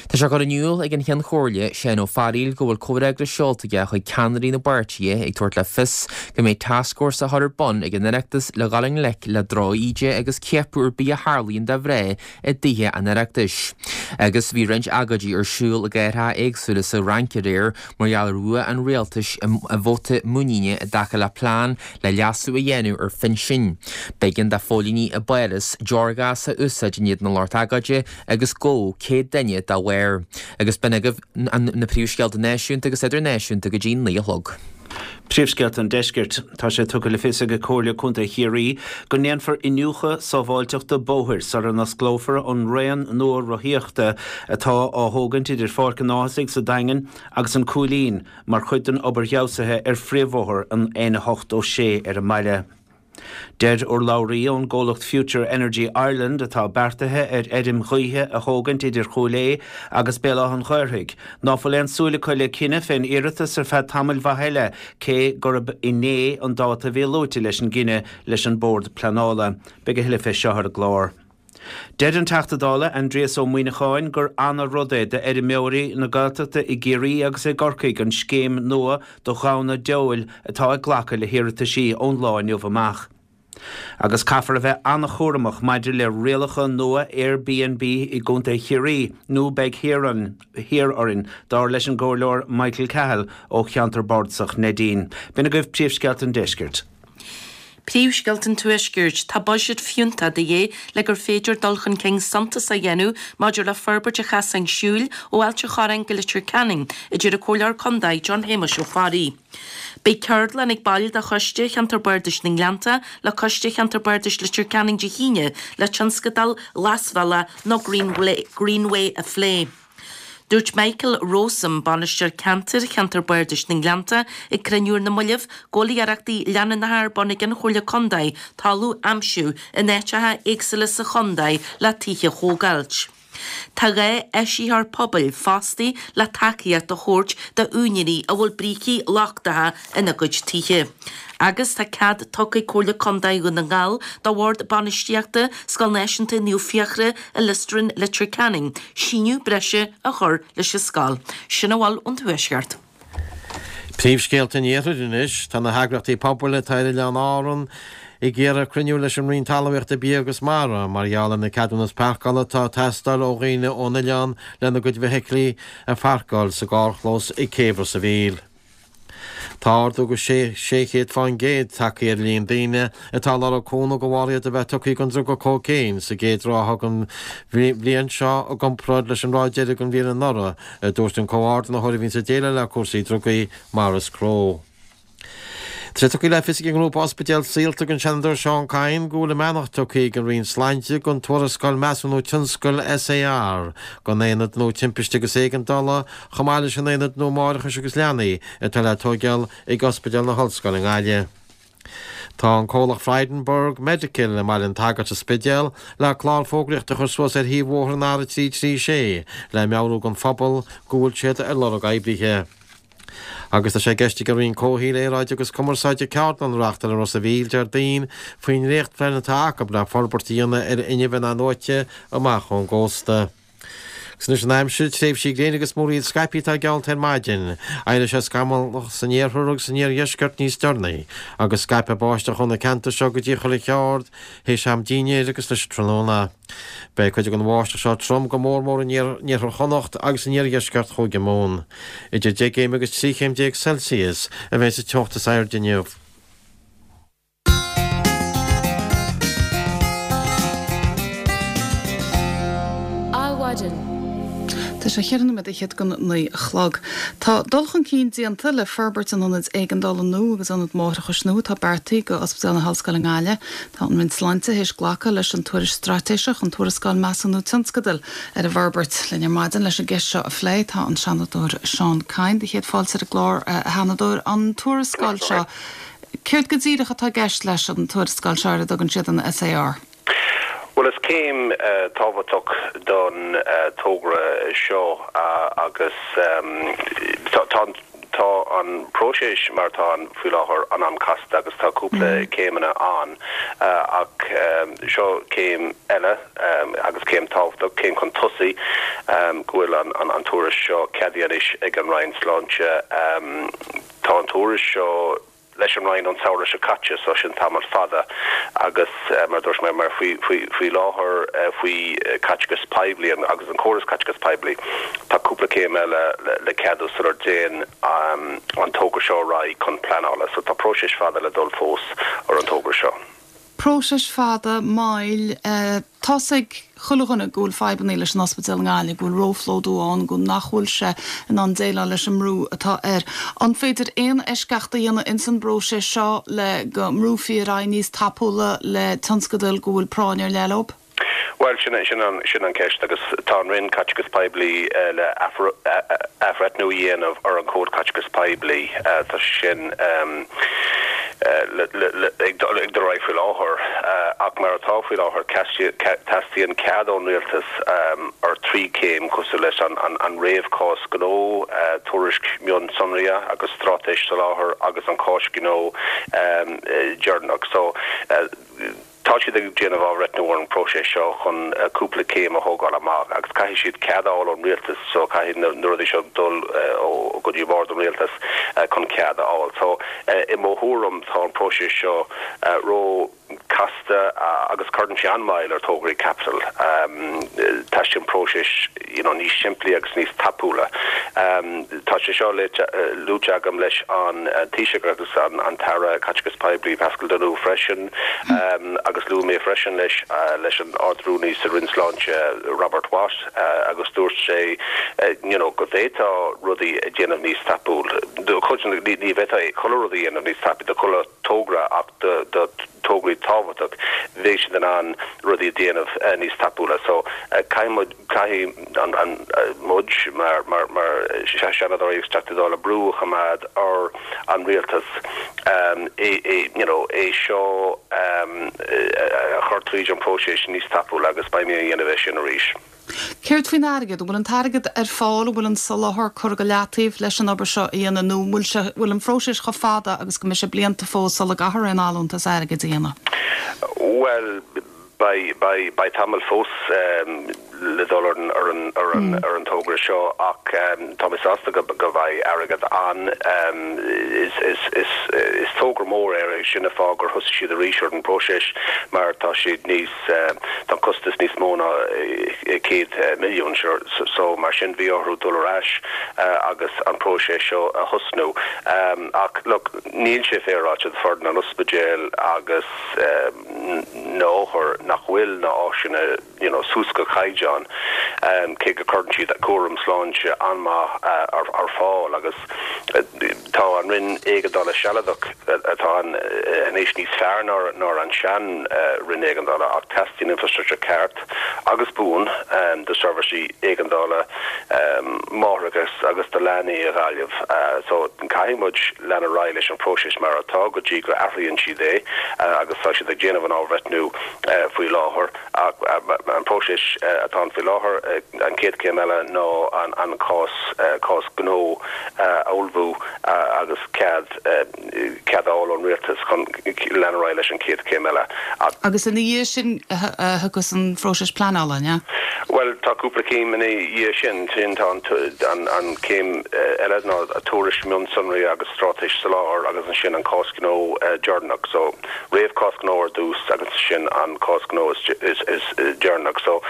Tá sé curtha in iúl ag an Cheann Comhairle, Seán Ó Fearghaíl, go bhfuil comhfhreagras seolta aige chuig ceannairí na bpáirtithe ag tabhairt le fios go mbeidh tascfhórsa á chur ar bun ag an Oireachtas le dhul i ngleic le droch-íde agus ciapadh ar bith a tharlaíonn do mhná i dTithe an Oireachtais. Agus bhí roinnt agóidí ar siúl i gcathracha éagsúla sa Fhrainc aréir mar gheall ar bhua an rialtais i vóta muiníne i dtaca le plean le leasú a dhéanamh ar phinsin. B'éigean do phóilíní i bPáras deorghás a úsáid in éadan an lucht agóide agus gabhadh céad duine dá bharr. Agus b'in agaibh na príomhscéalta náisiúnta agus idirnáisiúnta go dtí naoi a chlog. Príomhscéalta an Deiscirt. Tá sé tugtha le fios ag Comhairle Contae Chiarraí go ndéanfar iniúchadh sábháilteachta bóthair sara n-osclófar an raon nua rothaíochta atá á thógaint idir Pháirc an Ághasaigh sa Daingean agus an Cúilín mar chuid den obair fheabhsaithe ar phríomhbhóthar an N a hocht ó sé ar an mbaile. Deir urlabhraí ón gcomhlacht Future Energy Ireland, atá beartaithe ar fheirm ghaoithe a thógaint idir Chúil Aodha agus Béal Átha an Ghaorthaidh, ná fuil aon súil acu le cinneadh fén iarratas ar feadh tamaill mhaith eile, cé gurb inné an dáta a bhí luaite leis an gcinneadh leis an Bord Pleanála. Beidh a thuilleadh fé seo ar an gclár. Deir an Teachta Dála Aindrias Ó Muimhneacháin gur ana-rud é d'fheirmeoirí na Gaeltachta i gCiarraí agus i gCorcaigh an scéim nua do ghamhna deabhail atá ag glacadh le hiarrataisí ón lá inniu amach. Agus caithfear a bheith an-chúramach maidir le rialacha nua Airbnb i gContae Chiarraí nó beidh thiar orainn, dar leis an gComhairleoir Michael Cahill ó cheantar bardasach Neidín. B'in agaibh príomhscéalta an deiscirt. Príomhscéalta an Tuaiscirt, Tá buiséad fiúntach de dhíth le gur féidir dul chun cinn suntasach a dhéanamh maidir le forbairt an chasáin siúil ó Ailt an Chorráin go Leitir Ceanainn, a deir an Comhairleoir Contae John Shéamuis Ó Fearraigh. Beidh ceardlann ag baill de Choiste Cheantar Bardais na nGleannta le Coiste Cheantar Bardais Leitir Ceanainn Dé hAoine le tionscadal Glasbhealach nó Greenway a phlé. Dúirt Michael Rowsome, Bainisteoir Ceantair Cheantar Bardais na nGleannta, ag cruinniú ar na mallaibh, go bhfuil iarrachtaí leanúnacha ar bun ag an Chomhairle Contae talamh a aimsiú in áiteacha éagsúla sa chontae le tithe a thógáilt. Tá dhá áisitheoir pobail fostaithe le tacaíocht a thabhairt d'úinéirí a bhfuil brící lochtacha ina gcuid tithe. Agus tá cead tugtha ag Comhairle Contae Dhún na nGall do Bhord Bainistíochta Scoil Náisiúnta Naomh Fiachra i Liostran, Leitir Ceanainn, síneadh breise a chur leis an scoil. Sin a bhfuil ón Tuaisceart. Príomhscéalta an Iarthair anois. Tá na heagraíochtaí pobail atá ar Oileáin Árann ag iarraidh cruinniú leis an Roinn Talmhaíochta, Bia agus Mara mar gheall ar na ceadúnas páirceála atá ag teastáil ó dhaoine ón oileán lena gcuid feithiclí a pháirceáil sa gcarrchlós ag Céibh Ros a' Mhíl. Tá ardú go sé chéad fán gcéad tagtha ar líon daoine atá ag lorg cúnamh de bharr iad a bheith tugtha don druga cócaon sa gcéad ráithe den bhliain seo i gcomparáid leis an ráith deiridh den bhliain anuraidh, a dúirt an comhordaitheoir a bhíonns ag déileáil le cúrsaí drugaí, Maurice Crowe. Tá sé tugtha le fios ag an ngrúpa Ospidéal Saolta don Seanadóir Seán Kyne go bhfuil a mbeannacht tugtha ag an Roinn Sláinte don tuarascáil Measúnú Tionscail SAR don Aonad Nua Timpiste agus Éigeandála chomh maith leis an Aonad Nua Máithreachais agus Leanaí atá le tóigeáil ag Ospidéal na hOllscoile i nGaillimh. Tá an comhlacht Frydenberg Medical i mBaile an tSagairt sa Spidéal le clár fógraíochta a chur suas ar thaobh bhóthar an R a trí trí sé le meabhrú don phobal go bhfuil siad ar lorg oibrithe. Agus tá sé i gceist ag an Roinn Comhshaoil, Aeráide agus Cumarsáide ceardlann a reáchtáil i Ros a' Mhíl Déardaoin faoin ndréachtphlean atá acu le forbairt a dhéanamh ar fhuinneamh in-athnuaite amach ón gcósta. Agus anois an aimsir, tréimhsí gréine agus múraíl scaipthe atá geallta ar maidin. Éireoidh sé scamallach san iarthar agus san iardheisceart níos deireanaí, agus scaipfidh báisteach ó na ceantair seo go dtí Tulach Ard théis am dinnéir agus leis an tráthnóna. Beidh cuid den bháisteach seo trom go mór mór in iarthar Chonnacht agus in iardheisceart Chúige Mumhan. Idir deich gcéim agus trí chéim déag Celsius a bheidh sa teocht is airde inniu. Adhmhaidin. Tá sé cheithre nóiméad fhichead go naoi a chlog. Tá dul chun cinn déanta le forbairt an ionaid éigeandála nua agus ionad máithreachais nua atá beartaithe do Ospidéal na hOllscoile i nGaillimh. Tá an Roinn Sláinte théis glacadh leis an tuairisc straitéiseach, an tuarascáil measúnú tionscadail ar an bhforbairt. Linn ar maidin leis an gceist seo a phlé tá an Seanadóir Seán Kyne. Do chéad fáilte ar an gclár, a Sheanadóir. An tuarascáil seo, céard go díreach atá i gceist leis an tuarascáil seo ar a dtugann siad an SAR? Bhuel, is céim tábhachtach don togra seo agus tá tá an próiseas mar atá ann faoi láthair an-an-chasta agus tá cúpla céimeanna ann ach seo céim eile agus céim tábhachtach, céim chun tosaigh go bhfuil an tuairisc seo ceadaithe anois ag an Roinn Sláinte. Tá an tuairisc seo leis an Roinn ón samhradh seo caite, so sin tamall fada agus mar a dúirt mé, mar faoi faoi láthair faoi caiteachas poiblí agus an córas caiteachas poiblí, tá cúpla céim eile le ceadú sular dtéann an togra seo ar aghaidh chun pleanála. So tá próiseas fada le dul fós ar an togra seo. Próiseas fada, mall. Tá's ag chuile dhuine go bhfuil fadhbanna leis an ospidéal i nGaillimh, go bhfuil róphlódú ann, go nach bhfuil sé in ann déileáil leis an mbrú atá air. An féidir aon eisceacht a dhéanamh ins an bpróiseas seo le go mbrúfaí ar aghaidh níos tapúla le tionscadail go bhfuil práinn ar leith leo? Bhuel, sin sin an sin an ceist agus tá an Roinn Caiteachais Poiblí le athbhreithniú a dhéanamh ar an Chód Caiteachais Poiblí. Tá sé sin ag dul ar aghaidh faoi láthair ach mar atá faoi láthair teastaíonn cead ón Rialtas ar trí chéim cosúil leis an an réamhchás gnó, tuairisc mionsonraithe agus straitéis soláthair agus an cás gnó deireanach. So. Tá siad ag déanamh athbhreithniú ar an bpróiseas seo chun cúpla céim a thógáil amach agus caithfidh siad cead a fháil ón rialtas so caithfidh na rudaí seo dul go dtí bord an rialtais chun cead a fháil. So i mo thuairim tá an próiseas seo ró casta agus cuireann sé an-mhoill ar tograí caipitil. Teastaíonn próiseas you know níos simplí agus níos tapúla. Tá sé seo luaite agam leis an Taoiseach agus an tAire Caiteachais Poiblí Paschal Donohoe freisin agus luaigh mé freisin leis leis an Ard-Rúnaí sa Roinn Sláinte Robert Watt agus dúirt sé you know go bhféadfá rudaí a dhéanamh níos tapúil. Ní bhféadfá chuile rud a dhéanamh níos tapaí do chuile togra ach do do tograí tábhachtach bheadh siad in ann rudaí a dhéanamh níos tapúla. So caithfidh muid, caithfidh an, an, muid mar, mar, mar Seanadóirí agus Teachtaí Dála brú a choimeád ar an rialtas é, é, you know, é seo a chur tríd an próiseas níos tapúla agus beidh mé a dhéanamh é sin arís. Céard faoin airgead? An bhfuil an t-airgead ar fáil? An bhfuil an soláthar curtha go leataobh leis an obair seo a dhéanamh nó an bhfuil sé, bhfuil an phróiseas chomh fada agus go mbeidh sé blianta fós sula gcaithfear aon allúntas airgid a dhéanamh? Bhuel, beidh, beidh, beidh tamall fós le dul ar an ar an ar an mm. ar an togra seo ach um, tá mé sásta go go bhfuil airgead ann um, is is is is togra mór é sin an fáth gur thosaigh siad arís ar an próiseas mar tá siad níos uh, tá costas níos mó ná céad uh, milliún so, so mar sin bhí orthu dul ar ais uh, agus an próiseas seo a thosnú um, ach look níl sé féaráilte for na ospidéil agus um, na hothair nach bhfuil na áiseanna you know, suas go caighdeán um, cé go gcuireann siad cúram sláinte an-mhaith uh, ar, ar fáil agus uh, tá an Roinn Éigeandála sealadach atá an anois níos fearr ná ná an sean uh, Roinn Éigeandála ach teastaíonn infrastructure ceart agus buan um, do seirbhísí éigeandála um, máithreacha agus do leanaí i Gaillimh uh, so caithfidh muid lean ar aghaidh leis an próiseas mar atá go dtí go athraíonn siad é uh, agus tá siad ag déanamh an athbhreithniú uh, faoi láthair an próiseas atá faoi láthair an chéad chéim eile ná an an cás cás gnó a ullmhú agus cead cead ón rialtas chun lean ar aghaidh leis an chéad chéim eile. Agus ina dhiaidh sin agus an phróiseas pleanála, ne? Well tá cúpla céim ina dhiaidh sin sin tá an an céim eile ná a tuairisc mionsonraí agus straitéis soláthair agus ansin an cás gnó deireanach so réamhchás gnó ar dtús agus sin an cás gnó is is is deireanach so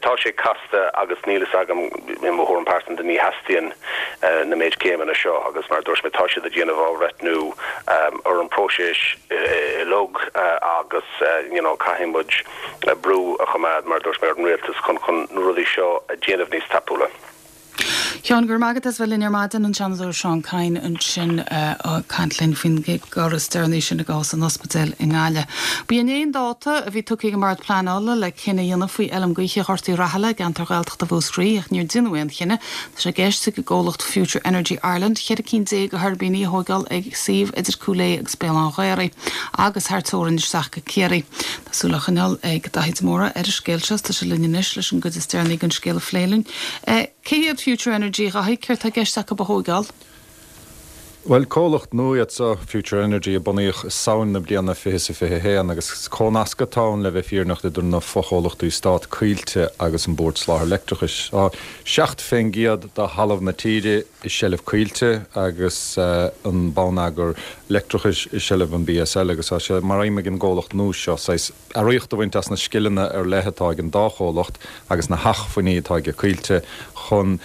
tá sé casta agus níl a fhios agam i mo thuairim pearsanta ní theastaíonn na méid céimeanna seo agus mar dúirt mé tá siad ag déanamh athbhreithniú ar an próiseas uilig agus you know caithfidh muid brú a choimeád mar dúirt mé ar an rialtas chun chun na rudaí seo a dhéanamh níos tapúla. Seán go raibh maith agat as bheith linn ar maidin an Seanadóir Seán Kyne ansin caint linn faoin gcor is deireanaí sin i gcás an ospidéil i nGaillimh. Ba inné an dáta a bhí tugtha ag an mBord Pleanála le cinneadh a dhéanamh faoi fheirm gaoithe Ghort Uí Rathaille i gceantar Gaeltachta Mhúscraí ach níor deineadh aon chinneadh Tá sé i gceist ag an gcomhlacht Future Energy Ireland ceithre cinn déag de thuirbíní a thógáil ag suíomh idir Cúil Aodha agus Béal Átha an Ghaorthaidh agus thar teorainn isteach go Ciarraí. Tá súil á coinneáil ag Daithí de Mórdha ar an scéal seo tá sé linn anois leis an gcuid is deireanaí den scéal a phlé linn. Cé hiad Future Energy a Dhaithí céard atá i gceist acu a thógáil? Well comhlacht nua iad seo Future Energy a bunaíodh i Samhain na bliana fiche fiche haon agus cónasc atá ann le bheith fírinneach idir na fochomhlachtaí stáit Coillte agus an Bord Soláthair Leictreachais. Tá seacht faoin gcéad de thalamh na tíre i seilbh Coillte agus uh, an bonneagar leictreachais i seilbh an BSL agus tá sé mar aidhm ag an gcomhlacht nua seo saghas earraíocht a bhaint as na scileanna ar leith atá ag an dá chomhlacht agus na hacmhainní atá ag Coillte chun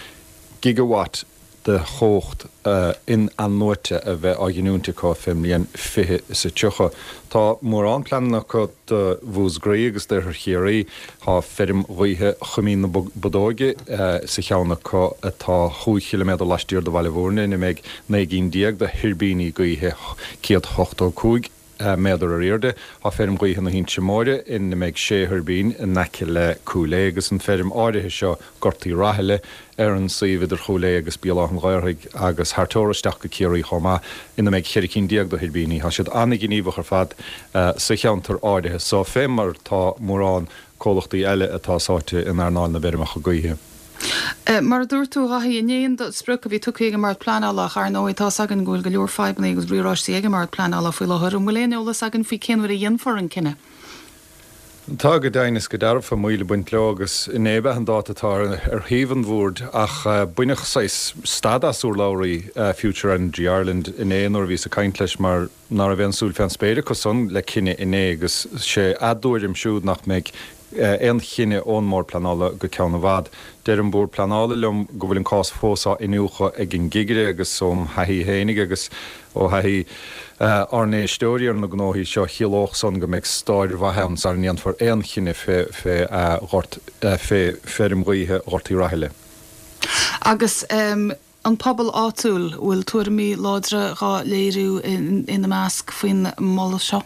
gigawatt de chumhacht uh, in-athnuaite a bheith á ghiniúint acu faoin mbliain fiche is a tríocha. Tá mórán pleananna acu do Mhúscraí agus d'Oirthear Chiarraí tá feirm ghaoithe Choimín na Bodóige uh, sa cheann acu atá chúig chiliméadar laistiar de Bhaile Bhúirne ina mbeidh naoi gcinn déag de thuirbíní gaoithe céad ochtó cúig méadar ar airde tá feirm ghaoithe na hInse Móire ina mbeidh sé thuirbín in aice le Cúil Aodha agus an feirm áirithe seo Gort Uí Rathaille ar an suíomh idir Chúil Aodha agus Béal Átha an Ghaorthaidh agus thar teorainn isteach go Ciarraí chomh maith ina mbeidh ceithre cinn déag de thuirbíní Tá siad an-ghníomhach ar fad uh, sa cheantar áirithe so fé mar tá mórán comhlachtaí eile atá sáite in earnáil na bhfeirmeacha gaoithe. Eh, mar a dúirt tú Dhaithí inné an sprioc a bhí tugtha ag an mBord Pleanála ar ndóigh tá againn go bhfuil go leor fadhbanna agus riaráistí ag an mBord Pleanála faoi láthair an bhfuil aon eolas againn faoi cén uair a dhéanfar an cinneadh. Tá go deimhin is go dearfa moill ag baint leo agus inné an dáta atá ar thaobh an bhoird ach uh, baineadh saghas stad as urlabhraí uh, Future Energy Ireland inné nuair a bhíos ag caint leis mar ná raibh aon súil fén spéir acu san le cinneadh inné agus sé a dtuairim siúd nach mbeidh aon chinneadh ón mBord Pleanála go ceann i bhfad. Deir an Bord Pleanála liom go bhfuil an cás fós á iniúchadh ag an gcigire agus óm thaithí féinig agus ó thaithí uh, ár n-éisteoirí ar na gnóthaí seo chiallódh san go mbeidh stair mhaith ann sara ndéanfar aon chinneadh fé fé uh, ghort uh, fé feirm ghaoithe Ghort Uí Rathaille. Agus um, an pobal áitiúil bhfuil tuairimí láidre á léiriú ina measc faoin moladh seo?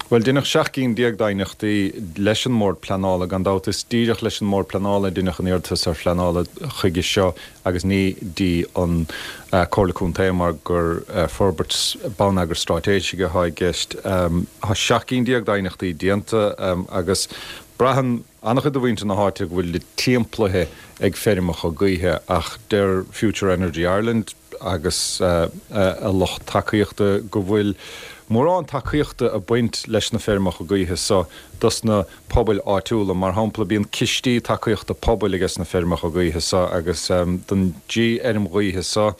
Well deineadh seacht gcinn déag d'aighneachtaí leis an mBord Pleanála gan dabht is díreach leis an mBord Pleanála deineadh an t-iarratas ar phleanála chuige seo agus ní dtí an uh, Comhairle Contae mar gur uh, forbairt bonneagar straitéisigh atá i gceist um, Tá seacht gcinn déag d'aighneachtaí déanta um, agus braitheann an-chuid de mhuintir na háite go bhfuil timpeallaithe ag feirmeacha gaoithe ach deir Future Energy Ireland agus uh, uh, a lucht tacaíochta go bhfuil mórán tacaíochta ag baint leis na feirmeacha gaoithe so dos na pobail áitiúla. Mar shampla bíonn cistí tacaíochta pobail ages na feirmeacha gaoithe so agus don dtrí fheirm ghaoithe so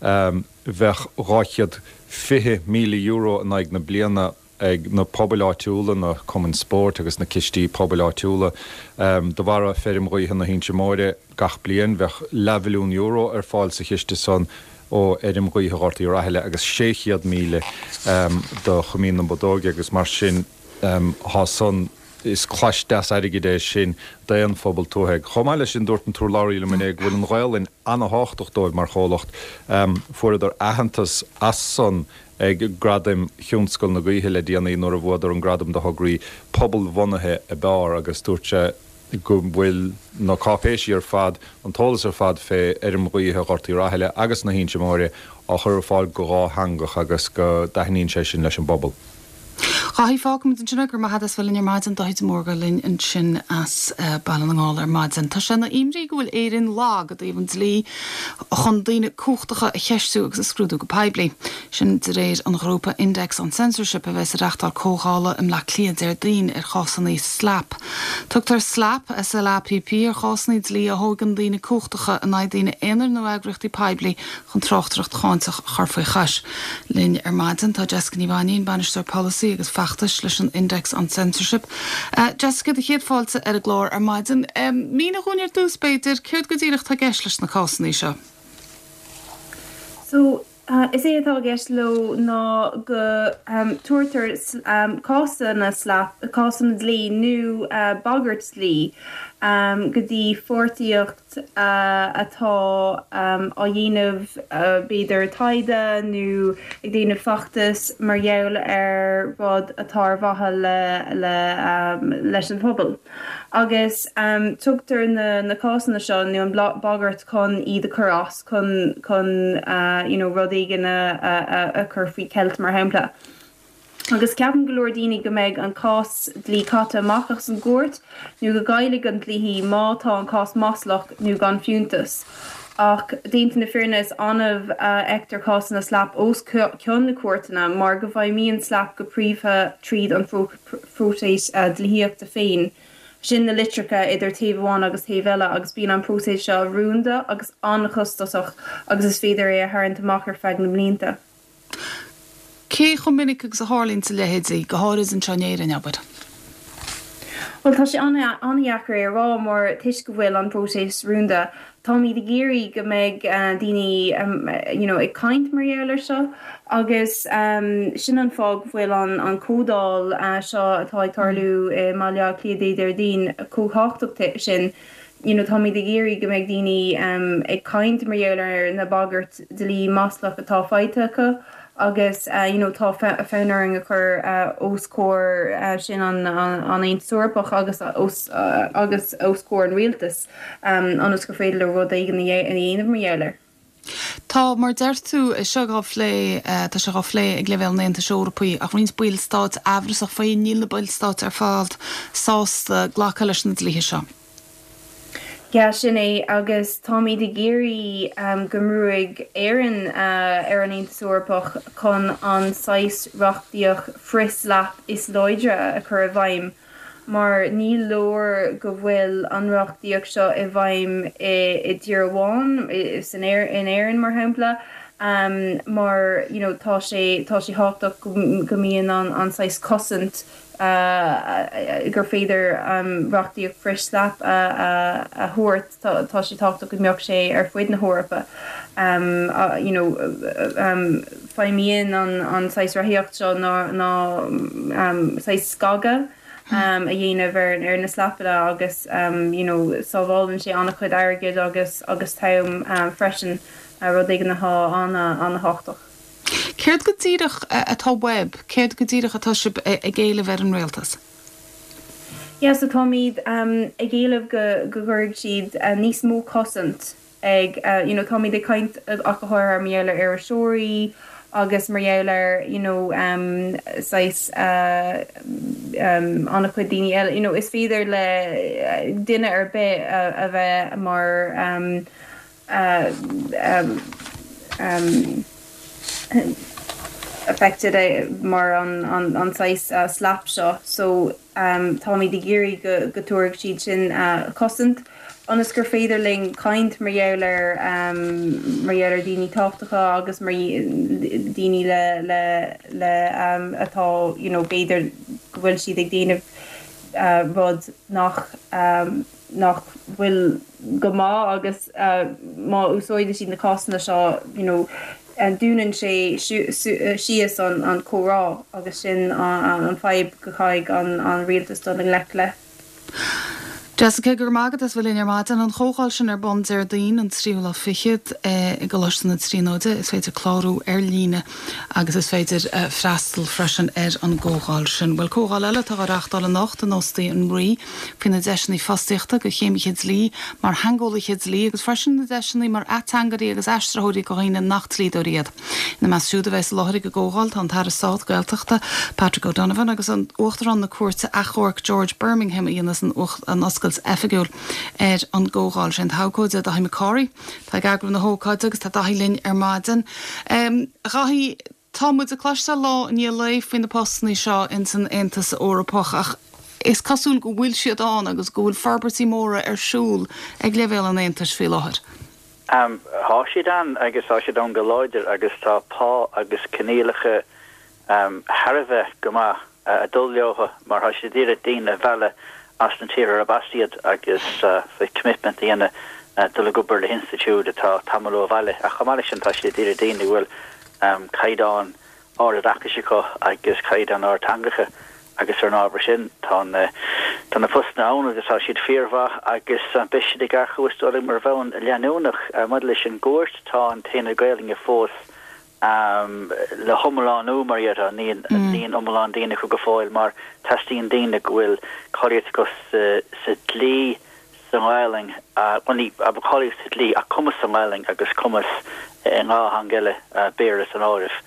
bheadh dhá chéad fiche míle euro in aghaidh na bliana ag na pobail áitiúla, na cumainn spóirt agus na cistí pobail áitiúla. De bharra feirm ghaoithe na hInse Móire gach bliain, bheadh leathmhilliún euro ar fáil sa chiste san ó fheirm ghaoithe Ghort Uí Rathaille agus sé chéad míle do Choimín na Bodóige agus mar sin thá san is clais deas airgid é sin d'aon phobal tuaithe. Chomh maith leis sin dúirt an t-urlabhraí liom inné go bhfuil an Ghaelainn ana-thábhachtach dóibh mar chomhlacht. Fuaireadar aitheantas as san ag Gradaim Thionscal na Gaoithe le déanaí nuair a bhuadar an gradam do thograí pobalbhunaithe ab fhearr agus dúirt sé go bhfuil na cáipéisí ar fad, an t-eolas ar fad fé fheirm ghaoithe Ghort Uí Rathaille agus na hInse Móire á chur ar fáil go dhátheangach agus go dtaitníonn sé sin leis an bpobal. Dáithí, fágfaimid ansin é, go raibh maith agat as bheith linn ar maidin, Dáithí de Mórdha linn ansin as Baile na nGall ar maidin. Tá sé ina imní go bhfuil Éirinn lag i dtaobh an dlí chun daoine cumhachtacha a cheistiú agus a scrúdú go poiblí. Sin de réir an ghrúpa Index on Censorship a bheas ag reachtáil comhdhála i mBleá Cliath Déardaoin ar chásanna SLAPP. Tugtar SLAPP, S L A P P, ar chásanna dlí a thógann daoine cumhachtacha in aghaidh daoine aonair nó eagraíochtaí poiblí chun tráchtaireacht cháinteach a chur faoi chois. Linn ar maidin tá Jessica Ní Mhainín, Bainisteoir Polasaí agus Feachtais leis an Index on Censorship. Uh, Jessica do chéad fáilte ar an gclár ar maidin. Um, Mínigh dúinn ar dtús b'fhéidir céard go díreach atá i gceist leis na cásanna seo. So uh, is é atá i gceist leo ná go um, tuairtar um, cásanna SLAPP cásanna dlí nó uh, bagairt dlí um, go dtí pháirtíocht uh, atá um, á dhéanamh uh, b'fhéidir taighde nó ag déanamh feachtas mar gheall ar rud atá ar mhaithe le, le, um, leis an phobal. Agus um, tugtar na, na cásanna seo nó an bagairt chun iad a chur as chun chun uh, you know, rud éigin a, a, a, a chur faoi cheilt mar shampla. Agus ceapann go leor daoine go mbeidh an cás dlí caite amach as an gcúirt nó go gcaillfidh an dlíthí má tá an cás maslach nó gan fiúntas. Ach déanta na fírinne is annamh a fheictear cásanna SLAPP os cionn na cúirteanna mar go bhfeidhmíonn SLAPP go príomha tríd an phróiseas uh, dlíthíochta féin. Sin na litreacha idir taobh amháin agus taobh eile agus bíonn an próiseas seo rúnda agus an-chostasach agus is féidir é a tharraingt amach ar feadh na mblianta. Cé chomh minic agus a tharlaíonn a leithéidí go háirithe anseo in Éirinn abair. Well tá sé an-deacair é a rá mar toisc go bhfuil an próiseas rúnda. Táimid ag iarraidh go mbeidh uh, daoine um, you know, ag caint mar gheall air seo agus um, sin an fáth go bhfuil an, an chomhdháil uh, seo atá ag tarlú i mBaile Átha Cliath Déardaoin chomh tábhachtach sin. You know, táimid ag iarraidh go mbeidh daoine um, ag caint mar gheall ar na bagairt dlí maslach atá faighte acu agus uh, you know, tá fonn orainn a chur uh, os comhair uh, sin an, an, an Aontas Eorpach agus os, uh, agus os comhair an rialtas um, ionas gur féidir le rud éigin a dhéanamh mar gheall air. Tá mar deir tú seo á phlé tá sé á phlé ag leibhéal an Aontais Eorpaigh ach roinnt ballstáit amhrasach faoi níl na ballstáit ar fad sásta glacadh leis na dlíthe seo. Ja sin é agus táimid ag iarraidh um, go mbrúfaidh Éirinn uh, ar an Aontas Eorpach chun an saghas reachtaíocht frith-SLAPP is láidre a chur i bhfeidhm. Mar ní leor go bhfuil an reachtaíocht seo i bhfeidhm i, i dtír amháin san in Éirinn mar shampla. Um, mar you know, tá sé tá sé tábhachtach go, go mbíonn an, an saghas cosaint uh, gur féidir um, reachtaíocht frith-SLAPP a, a, a thabhairt tá sé tábhachtach go mbeadh sé ar fud na hEorpa. Um, uh, you know, um, feidhmíonn an, an saghas reachtaíocht seo ná, ná um, saghas scagadh um, a dhéanamh ar, ar na SLAPPanna agus um, you know, sábhálann sé an-chuid airgid agus agus t-am um, freisin uh, rud éigin atá an-an-tábhachtach. Céard go díreach atá uaibh, céard go díreach atá sibh ag éileamh ar an rialtas? Ja, so táimid um, ag éileamh go go gcuirfidh siad uh, níos mó cosaint ag uh, you know, táimid ag caint ach go háirithe mar gheall ar iriseoirí agus mar gheall ar you know, um, saghas uh, um, an-chuid daoine eile you know, is féidir le duine ar bith uh, a bheith mar um, uh, um, um, affected mar an an an saghas uh, SLAPP seo so um, táimid ag iarraidh go go dtabharfaidh siad sin uh, cosaint ionas gur féidir linn caint mar gheall ar um, mar gheall ar daoine tábhachtacha agus mar daoine le le le um, atá you know, b'fhéidir go bhfuil siad ag déanamh uh, rud nach um, nach bhfuil go maith agus uh, má úsáideann siad na cásanna seo you know, dúnann sé síos an an comhrá agus sin an, an fadhb go gcaithfidh an, an rialtas dul i ngleic le. Jessica gur mágad as bhfuil ar maidin an chomhdháil sin ar bun Déardaoin an tríú lá fichead i gColáiste na Tríonóide is féidir clárú ar líne agus is féidir freastal freisin ar an gcomhdháil sin. Well comhdháil eile atá á reáchtáil anocht in Óstaí an Rí faoi na deiseanna fostaíochta do chéimithe dlí mar theangeolaithe dlí agus freisin na deiseanna mar ateangairí agus aistritheoirí do dhaoine nach dlíodóirí iad. Ina measc siúd a bheas i láthair ag an gcomhdháil tá an tAire Stáit Gaeltachta Patrick O'Donovan agus an Uachtarán na Cúirte Achomhairc George Birmingham a dhéanfas an an oscailt oifigiúil ar an gcomhdháil sin abhcóide Daithí Mac Cárthaigh Tá ag eagrú na hócáide agus tá Daithí linn ar maidin. Um, Dhaithí tá muid ag cloisteáil lá i ndiaidh lae faoi na postanna seo in san Aontas Eorpach ach is cosúil go bhfuil siad ann agus go bhfuil forbairtí móra ar siúl ag leibhéal an Aontais faoi láthair. Um, Tá siad ann agus tá siad ann go láidir agus tá pá agus coinníollacha um, thar a bheith go maith uh, ag dul leo mar tá siad ag iarraidh daoine a mhealladh as na tíortha arb as iad agus uh, commitment a dhéanamh uh, dul ag obair le hinstitiúid atá tamall ó bhaile ach chomh maith leis sin tá siad ag iarraidh daoine a bhfuil um, caighdeán ard oideachais acu agus caighdeán ard teangacha agus ar an ábhar sin tá na tá na postanna ann agus tá siad fíormhaith agus uh, beidh siad ag earcú is dóigh mar bhonn leanúnach uh, maidir leis an gcúirt tá an t-aonad Gaelainne fós um, le hiomlánú mar iad níl mm. níl iomlán daoine acu go fóill mar teastaíonn daoine go bhfuil cáilíocht acu sa, sa dlí sa Ghaelainn uh, a cáilíocht sa dlí a cumas sa Ghaelainn agus cumas i dhá theanga eile uh, Béarla san áireamh.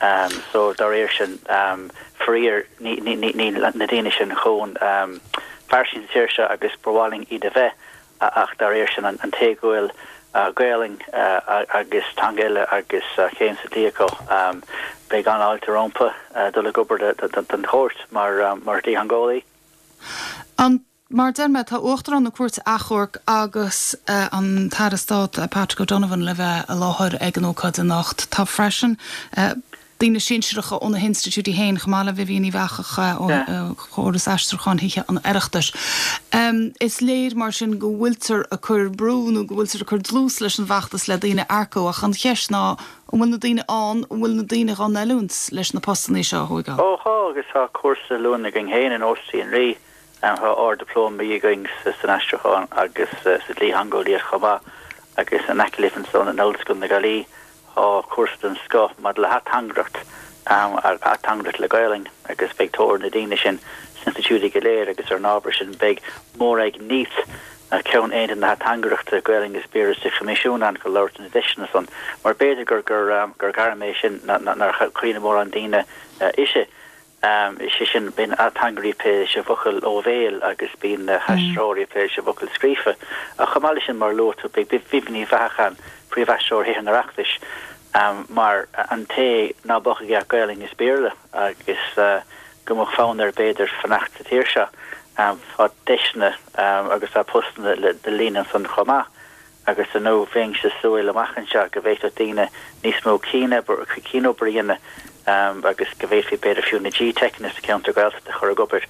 Um, so dá réir sin um, faraor ní na daoine sin chomh um, fairsing sa tír seo agus ba mhaith linn iad a bheith ach dá réir sin an, an té go bhfuil uh, Gaelainn uh, agus teanga eile agus uh, céim sa dlí acu um, beidh an-fháilte rompu uh, dul ag obair don chúirt mar um, mar dlítheangeolaí. An Mar deir mé tá Uachtarán na Cúirte Achomhairc agus uh, an tAire Stáit uh, Patrick O'Donovan le bheith i láthair ag an ócáid anocht. Tá freisin uh, daoine sinsearacha ó na hinstitiúidí féin chomh maith le Vivian Ní Bheachacha ó chóras aistriúcháin Thithe an Oireachtais. Um, is léir mar sin go bhfuiltear ag cur brú nó go bhfuiltear ag cur dlús leis an bhfeachtas le daoine a earcú ach an cheist ná an bhfuil na daoine ann an bhfuil na daoine á n-oiliúint leis na postanna seo a thógáil. Ó tá agus tá cúrsa oiliúna againn féin in Óstaí an Rí tá Ard-Dioplóma againn san aistriúchán agus sa dlítheangeolaíocht chomh maith agus in aice libh ansan in Ollscoil na Gaillimhe tá cúrsa den scoth maidir le hateangaireacht um, ateangaireacht le Gaelainn agus beidh tóir na daoine sin sna hinstitiúidí go léir agus ar an ábhar sin beidh Mairéad Neath ceann aonad na hateangaireachta Gaelainn is Béarla sa Choimisiún ann go labhairt na deiseanna san mar b'fhéidir gur gur um, gur gairm é sin nár chuimhnigh mórán daoine uh, ise. Um, sé sin bíonn ateangairí ag plé leis an bhfocal ó bhéal agus bíonn na haistritheoirí ag plé leis an bhfocal scríofa. A chomh maith leis sin mar luaigh tú Vivian Ní Bheacháin príomhaistritheoir Thithe an Oireachtais um, mar an té ná beadh aige Gaelainn is Béarla agus uh, go mbeadh fonn air b'fhéidir fanacht sa tír seo um, tá deiseanna um, agus tá postanna le de líon san chomh maith agus an nó bheinn ag súil amach anseo go bhféadfadh daoine níos mó cianobair cianobair a dhéanamh um, agus go bhféadfaí b'fhéidir fiú na G-Techanna sa cheantar Gaeltachta a chur ag obair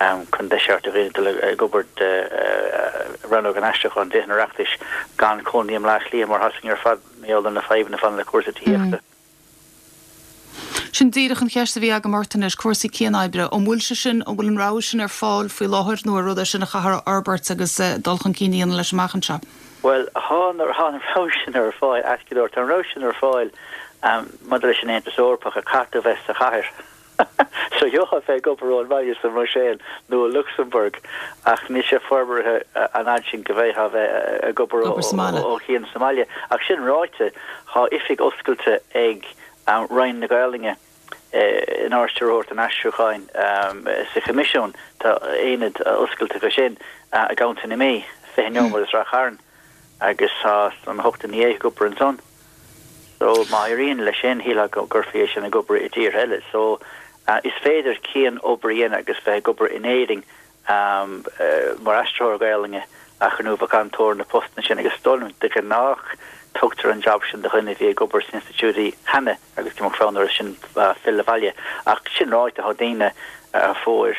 um, chun deis a thabhairt do dhaoine ag obair de uh, rannóg an aistriúcháin Thithe an Oireachtais gan cónaí i mBaile Átha Cliath mar hasing ar fad méol na fadhbanna fan le cúrsaí tithíochta. Mm. Sin díreach an cheist a bhí agam ort anois cúrsaí cianoibre, an bhfuil sé sin an bhfuil an rogha sin ar fáil faoi láthair nó rud é sin a chaithfear a fhorbairt agus uh, dul chun cinn a leis amach anseo. Well tá an rogha sin ar fáil go tá an rogha sin ar fáil um, maidir leis an Aontas Eorpach a caithfidh bheith sa chathair. So gheofá bheith ag obair ón mbaile sa mBruiséil nó Luxemburg ach níl sé forbartha an fhad sin go bheith bheith ag obair ó chian sa mbaile. Ach sin ráite tá oifig oscailte ag um, Roinn na Gaelainne eh, in Ard-Stiúrthóireacht an Aistriúcháin um, sa Choimisiún tá aonad oscailte go sin uh, i gContae na Mí fiche nóiméad as Ráth Chairn agus tá an hocht ní ag obair ansan. So má éiríonn leis sin, shílfeá go gcuirfí é sin ag obair i dtír eile. So is féidir cian-obair a dhéanamh agus bheith ag obair in Éirinn mar aistritheoir Gaelainne ach ar ndóigh bheadh an-tóir ar na postanna sin agus is dóigh liom de ghnách tugtar an jab sin do dhuine a bhí ag obair sna institiúidí cheana agus go mbeadh fonn orthu sin filleadh abhaile. Ach sin ráite tá daoine a fuair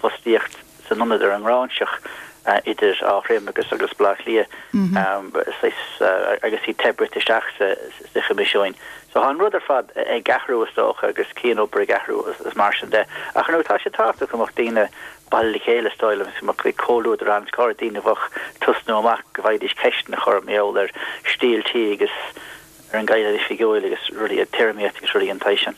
fostaíocht san ionad ar an nGráinseach idir Áth Troim agus agus Baile Átha Cliath agus iad te bruite isteach sa Choimisiúin. So tá an rud ar fad ag athrú is dócha agus cian-obair ag athrú is mar sin de. Ach ar ndóigh tá sé tábhachtach go mbeadh daoine bailithe le chéile is dóigh liom go mbeadh comhluadar ann, go háirithe daoine a bheadh ag tosnú amach go bhfaighidís ceisteanna a chur mar gheall ar stíl tí agus ar an gCaighdeán Oifigiúil agus rudaí, téarmaíocht agus rudaí den tsaghas sin.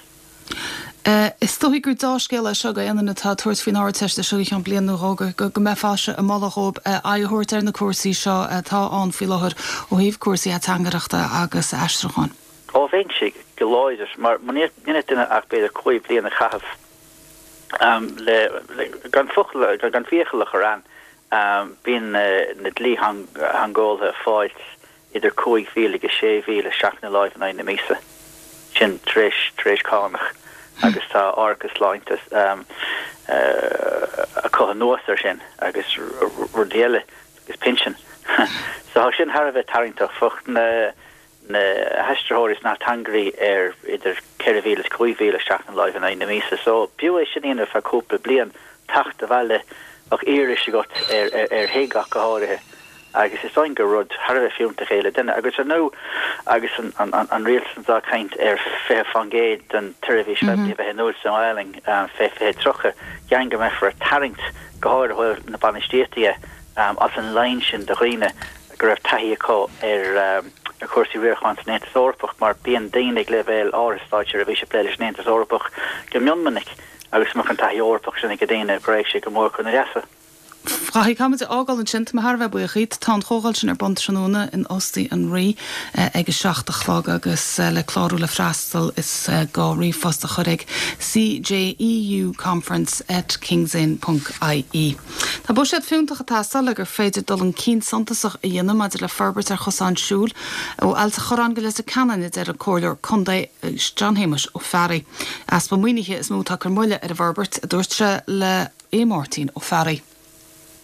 Is dóigh gur dea-scéal é seo do aon duine atá ag tabhairt faoin Ardteist seo i gceann bliain nó dhó go go mbeifeása ag moladh dhóibh aghaidh a thabhairt ar na cúrsaí seo atá ann faoi láthair ó thaobh cúrsaí ateangaireachta agus aistriúcháin. Ó bheinnse go láidir, mar muna ndéanann duine ach b'fhéidir cúig bliana a chaitheamh le gan focal gan fiacail a chur ann, bíonn na dlítheangeolaithe ag fáilt idir cúig mhíle agus sé mhíle isteach ina láimh in aghaidh na míosa, sin tar éis tar éis cánach, agus tá árachas sláinte acu anuas air sin agus rudaí eile agus pinsean. So tá sin thar a bheith tarraingteach. Bheadh na na haistritheoirí is na hateangairí ar idir ceithre mhíle is cúig mhíle isteach ina láimh in aghaidh na míosa. So b'fhiú é sin a dhéanamh ar feadh cúpla bliain, teacht abhaile, bheadh iarraidh agat ar ar thigh ach go háirithe agus is dóigh gur rud thar a bheith fiúntach é le duine. Agus ar ndóigh agus an an an rialtas anseo ag caint ar fiche faoin gcéad den tseirbhís phoiblí a bheith in úsáid sa nGaelainn fé fiche tríocha, dhéarfainn go mbeifear ag tarraingt go háirithe ó thaobh na bainistíochta as an line sin de dhaoine go raibh taithí acu ar chúrsaí riaracháin san Aontas Eorpach mar bíonn daoine ag leibhéal áirithe státseirbhíse ag plé leis an Aontas Eorpach go mion minic agus mbeadh an taithí Eorpach sin ag daoine go raghadh sé go mór chun a leasa. Caithfidh muid a fhágáil ansin, tá mé thar a bheith buíoch díot. Tá an chomhdháil sin ar bun tráthnóna in Óstaí an Rí ag a seacht a chlog agus le clárú le freastal is gá ríomhphost a chur ag cjeuconference at kingsinn ponc ie. Tá buiséad fiúntach ag teastáil le gur féidir dul chun cinn suntasach a dhéanamh maidir le forbairt ar chosán siúil ó Ailt an Chorráin go Leitir Ceanainn, a deir an Comhairleoir Contae John Shéamuis Ó Fearraigh. Easpa maoinithe is mó atá ag cur moille ar an bhforbairt, a dúirt sé le Aodh Máirtín Ó Fearraigh.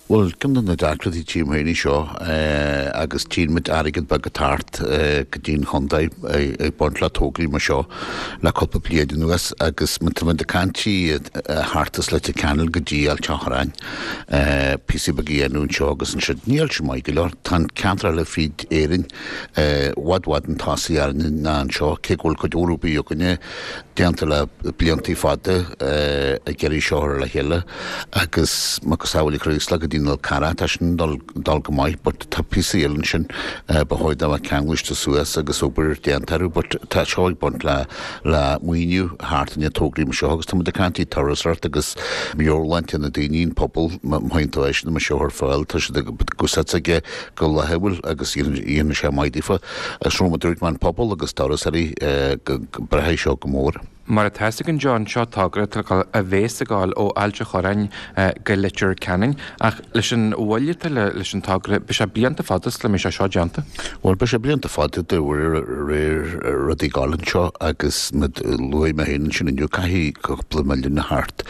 Bhuel, ceann de na deacrachtaí tchím féin í seo agus tchíonn muid airgead beag ag teacht go dtí an chontae ag baint le tograí mar seo le cúpla bliain anuas agus má tá muid ag caint thart as Leitir Ceanainn go dtí Ailt an Chorráin, píosaí beaga a dhéanamh anseo agus ansiúd. Níl sé maith go leor. Tá an ceantar eile fríd Éirinn i bhfad bhfad chun tosaigh orainne ná anseo, cé go bhfuil cuid mhór obair againne déanta le bliantaí fada ag iarraidh seo a chur le chéile agus macasamhail Chraoslaigh go dtí an Fhál Carrach, tá sin dul dul go maith but tá píosaí eile ansin ba chóir dá mbeadh ceanglaiste suas agus obair déanta orthu but tá seo ag baint le le maoiniú thart i ndiaidh tograí mar seo agus tá muid ag caint i turasóireacht agus meabhairshláinte na daoine, an pobal, má théann tú eisean mar seo ar fáil tá siad ag úsáid aige go laethúil agus dhéanann sé maith daofa. Is rud a dúirt mé an pobal agus turasóirí go braithfidh seo go mór. Mar atá a fhios againn John, seo togra atá a bhéas ag gabháil ó Ailt an Chorráin go Leitir Ceanainn ach leis an mhoill atá leis an togra, beidh sé blianta fada sula mbeidh sé seo déanta. Bhuel, beidh sé blianta fada de réir rudaí ag gabháil anseo agus mar a luaigh mé féin ansin inniu, caithfidh cúpla milliún a theacht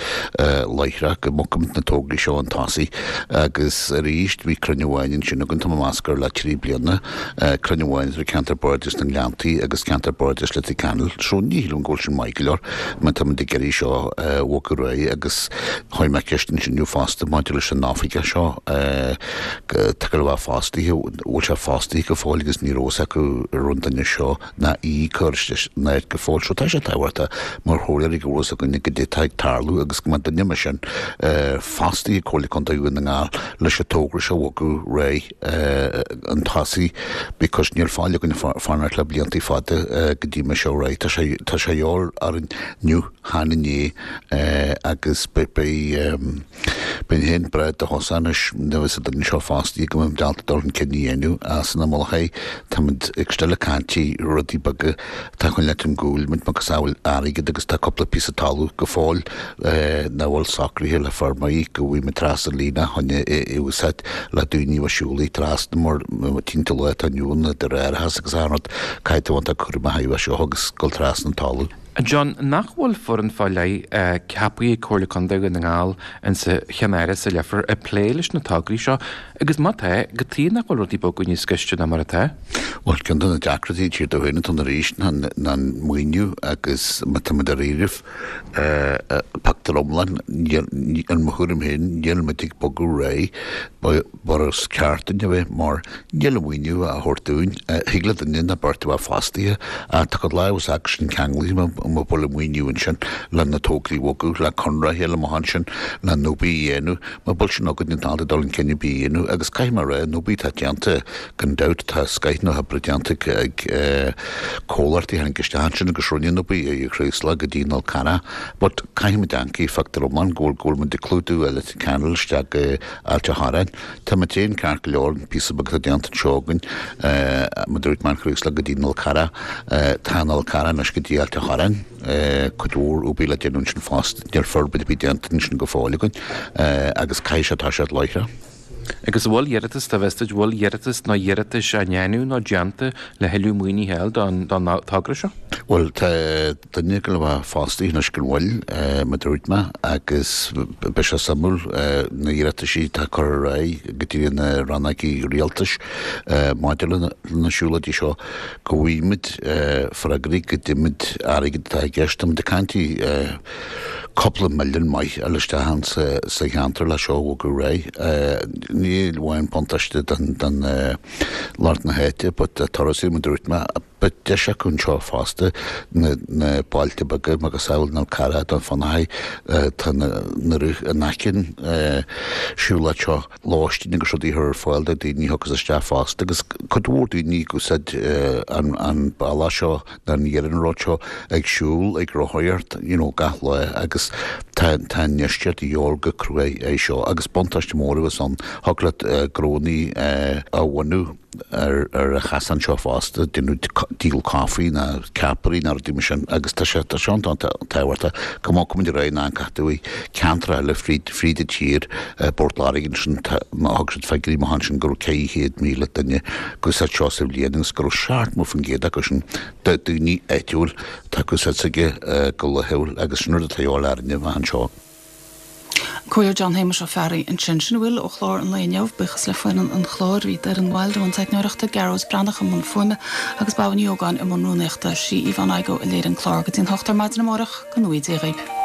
láithreach go mbogfaimid na tograí seo chun tosaigh agus arís bhí cruinniú amháin ansin againn, tá mé ag meas gur le trí bliana, cruinniú amháin idir Ceantar Bardais na nGleanntaí agus Ceantar Bardais Leitir Ceanainn, so ní shílim go bhfuil sin maith go leor má tá muid ag iarraidh seo a bhogadh ar aghaidh agus chuir mé ceist ansin inniu fosta maidir leis an oifigeach seo atá ag gabháil a bheith fostaithe, bhfuil sé fostaithe go fóill agus ní raibh fhios acu an raibh an duine seo ná í curtha in áit go fóill. So tá sé tábhachtach mar chomhairleoirí go bhfuil fhios againne goidé atá ag tarlú agus go mbeadh duine mar sin fostaithe ag Comhairle Contae Dhún na nGall leis an togra seo a bhogadh ar aghaidh chun tosaigh because níl fáil againn fanacht le blianta fada go dtí mar seo ar aghaidh. Tá sé tá sé ar orainn inniu chan inné agus beidh beidh beinn féin breá do thosa anois nuair a bheas an duine seo fostaithe go mbeidh ábalta dul chun cinn a dhéanamh as an mullach é táimid ag still ag caint rudaí beaga atá chun leat an gcúil muid macasamhail airgead agus tá cúpla píosa talamh go fóill nach bhfuil socraithe le feirmeoirí go bhfaighidh muid trasna an líne chun é a úsáid le daoine a bheith siúlaí trasna mar timpeall lá atá inniu ann idir árachas agus achan rud caithfidh tú iontach cúramach a bheith seo agus dul trasna an talamh. John, nach bhfuil foireann fá leith ceaptha ag Comhairle Contae Dhún na nGall insa Cheannáras sa Leifear ag plé leis na tograí seo agus má tá, cad chuige nach bhfuil rudaí ag bogadh níos gaiste ná mar atá? Bhuel, ceann de na deacrachtaí tír do féin atá ann arís ná an maoiniú agus má tá muid dáiríribh pictiúr iomlán, in mo thuairim féin, níl muid ag bogadh ar aghaidh mar is ceart dúinn a bheith mar níl an maoiniú á thabhairt dúinn. Thig le duine nó beirt a bheith fostaithe ach tá cuid lámh acu sin ceanglaithe má bhfuil an maoiniú ansin le na tograí a bhogadh, le conraithe eile amach ansin, le an obair a dhéanamh. Má bhfuil sin againn níl ábalta dul chun cinn ar bith a dhéanamh agus caithfidh mé a rá, an obair atá déanta, gan dabht, tá scoith na hoibre déanta ag comhlachtaí a tháinig isteach ansin agus rinne an obair ó Chraoslach go dtí an Fhál Carrach but caithfidh muid amharc phictiúr iomlán go bhfuil go bhfuil muid ag clúdú Leitir Ceanainn isteach go Ailt a' Chorráin. Tá muid féin ceart go leor, an píosa beag atá déanta anseo againn, mar a dúirt mé, an Chraoslach go dtí an Fhál Carrach, tá an Fhál Carrach anois go dtí Ailt a' Chorráin, cuid mhór obair le déanamh ansin fosta, níl forbairt ar bith déanta ansin go fóill againn agus caithfidh sé toiseacht láithreach. Agus an bhfuil iarratas, dá bhfios duit, bhfuil iarratas nó iarratais á ndéanamh nó déanta le thuilleadh maoinithe a fháil don don togra seo? Bhuel, tá duine ag dul a bheith fostaithe anois gan mhoill, mar a dúirt mé, agus beidh sé suimiúil na hiarrataisí atá curtha ar aghaidh go dtí na rannógaí rialtais maidir le na siúlóidí seo, go bhfaighimid freagraí, go dtuigimid airgead atá i gceist. Táimid ag caint cúpla milliún maith a fháil isteach ann sa cheantar le seo a bhogadh ar aghaidh. Ní amháin buntáiste don lucht na háite but turasóirí mar a dúirt mé, beidh deis acu anseo fosta na bailte beaga macasamhail An Fhál Carrach Dún Fionnachaidh tá na rith in aice an siúlóid seo lóistín agus rudaí a chur ar fáil do daoine a thiocfas isteach fosta agus cuid mhór daoine ag úsáid an bealach seo nó an iarnród seo ag siúl, ag rothaíocht, you know, gach lá agus tá tá an infheistíocht de dhíobháil go cruaidh é seo agus buntáiste mór a bheas ann, thig leat gnónnaí a bhunú ar ar an chasán seo fosta, déanamh díol caife nó ceapairí nó rudaí mar sin agus tá sé tá sé iontach tábhachtach go mbogfaimid ar aghaidh ná an caithfidh tú ceantar eile fríd fríd an tír, i bPort Láirge ansin tá thug siad figiúirí amach ansin go raibh ceithre chéad míle duine ag úsáid seo sa bhliain agus go raibh seachtó faoin gcéad acu sin daoine áitiúil atá ag úsáid s'aige go laethúil agus sin rud atá de dhíobháil orainne a bheith anseo. Comhairleoir John Shéamuis Ó Fearraigh ansin. Sin a bhfuil ó chlár an lae inniu. Buíochas le foireann an chláir. Bhí Doireann Wilde i mbun teicneoireachta, Gearóid Breathnach i mbun fuaime agus Babha Ní Ógáin i mbun rúnaíochta. Sí Yvonne Igoe a léirigh an clár. Go dtí an hocht ar maidin amárach, go ngnóthaí Dia dhaoibh.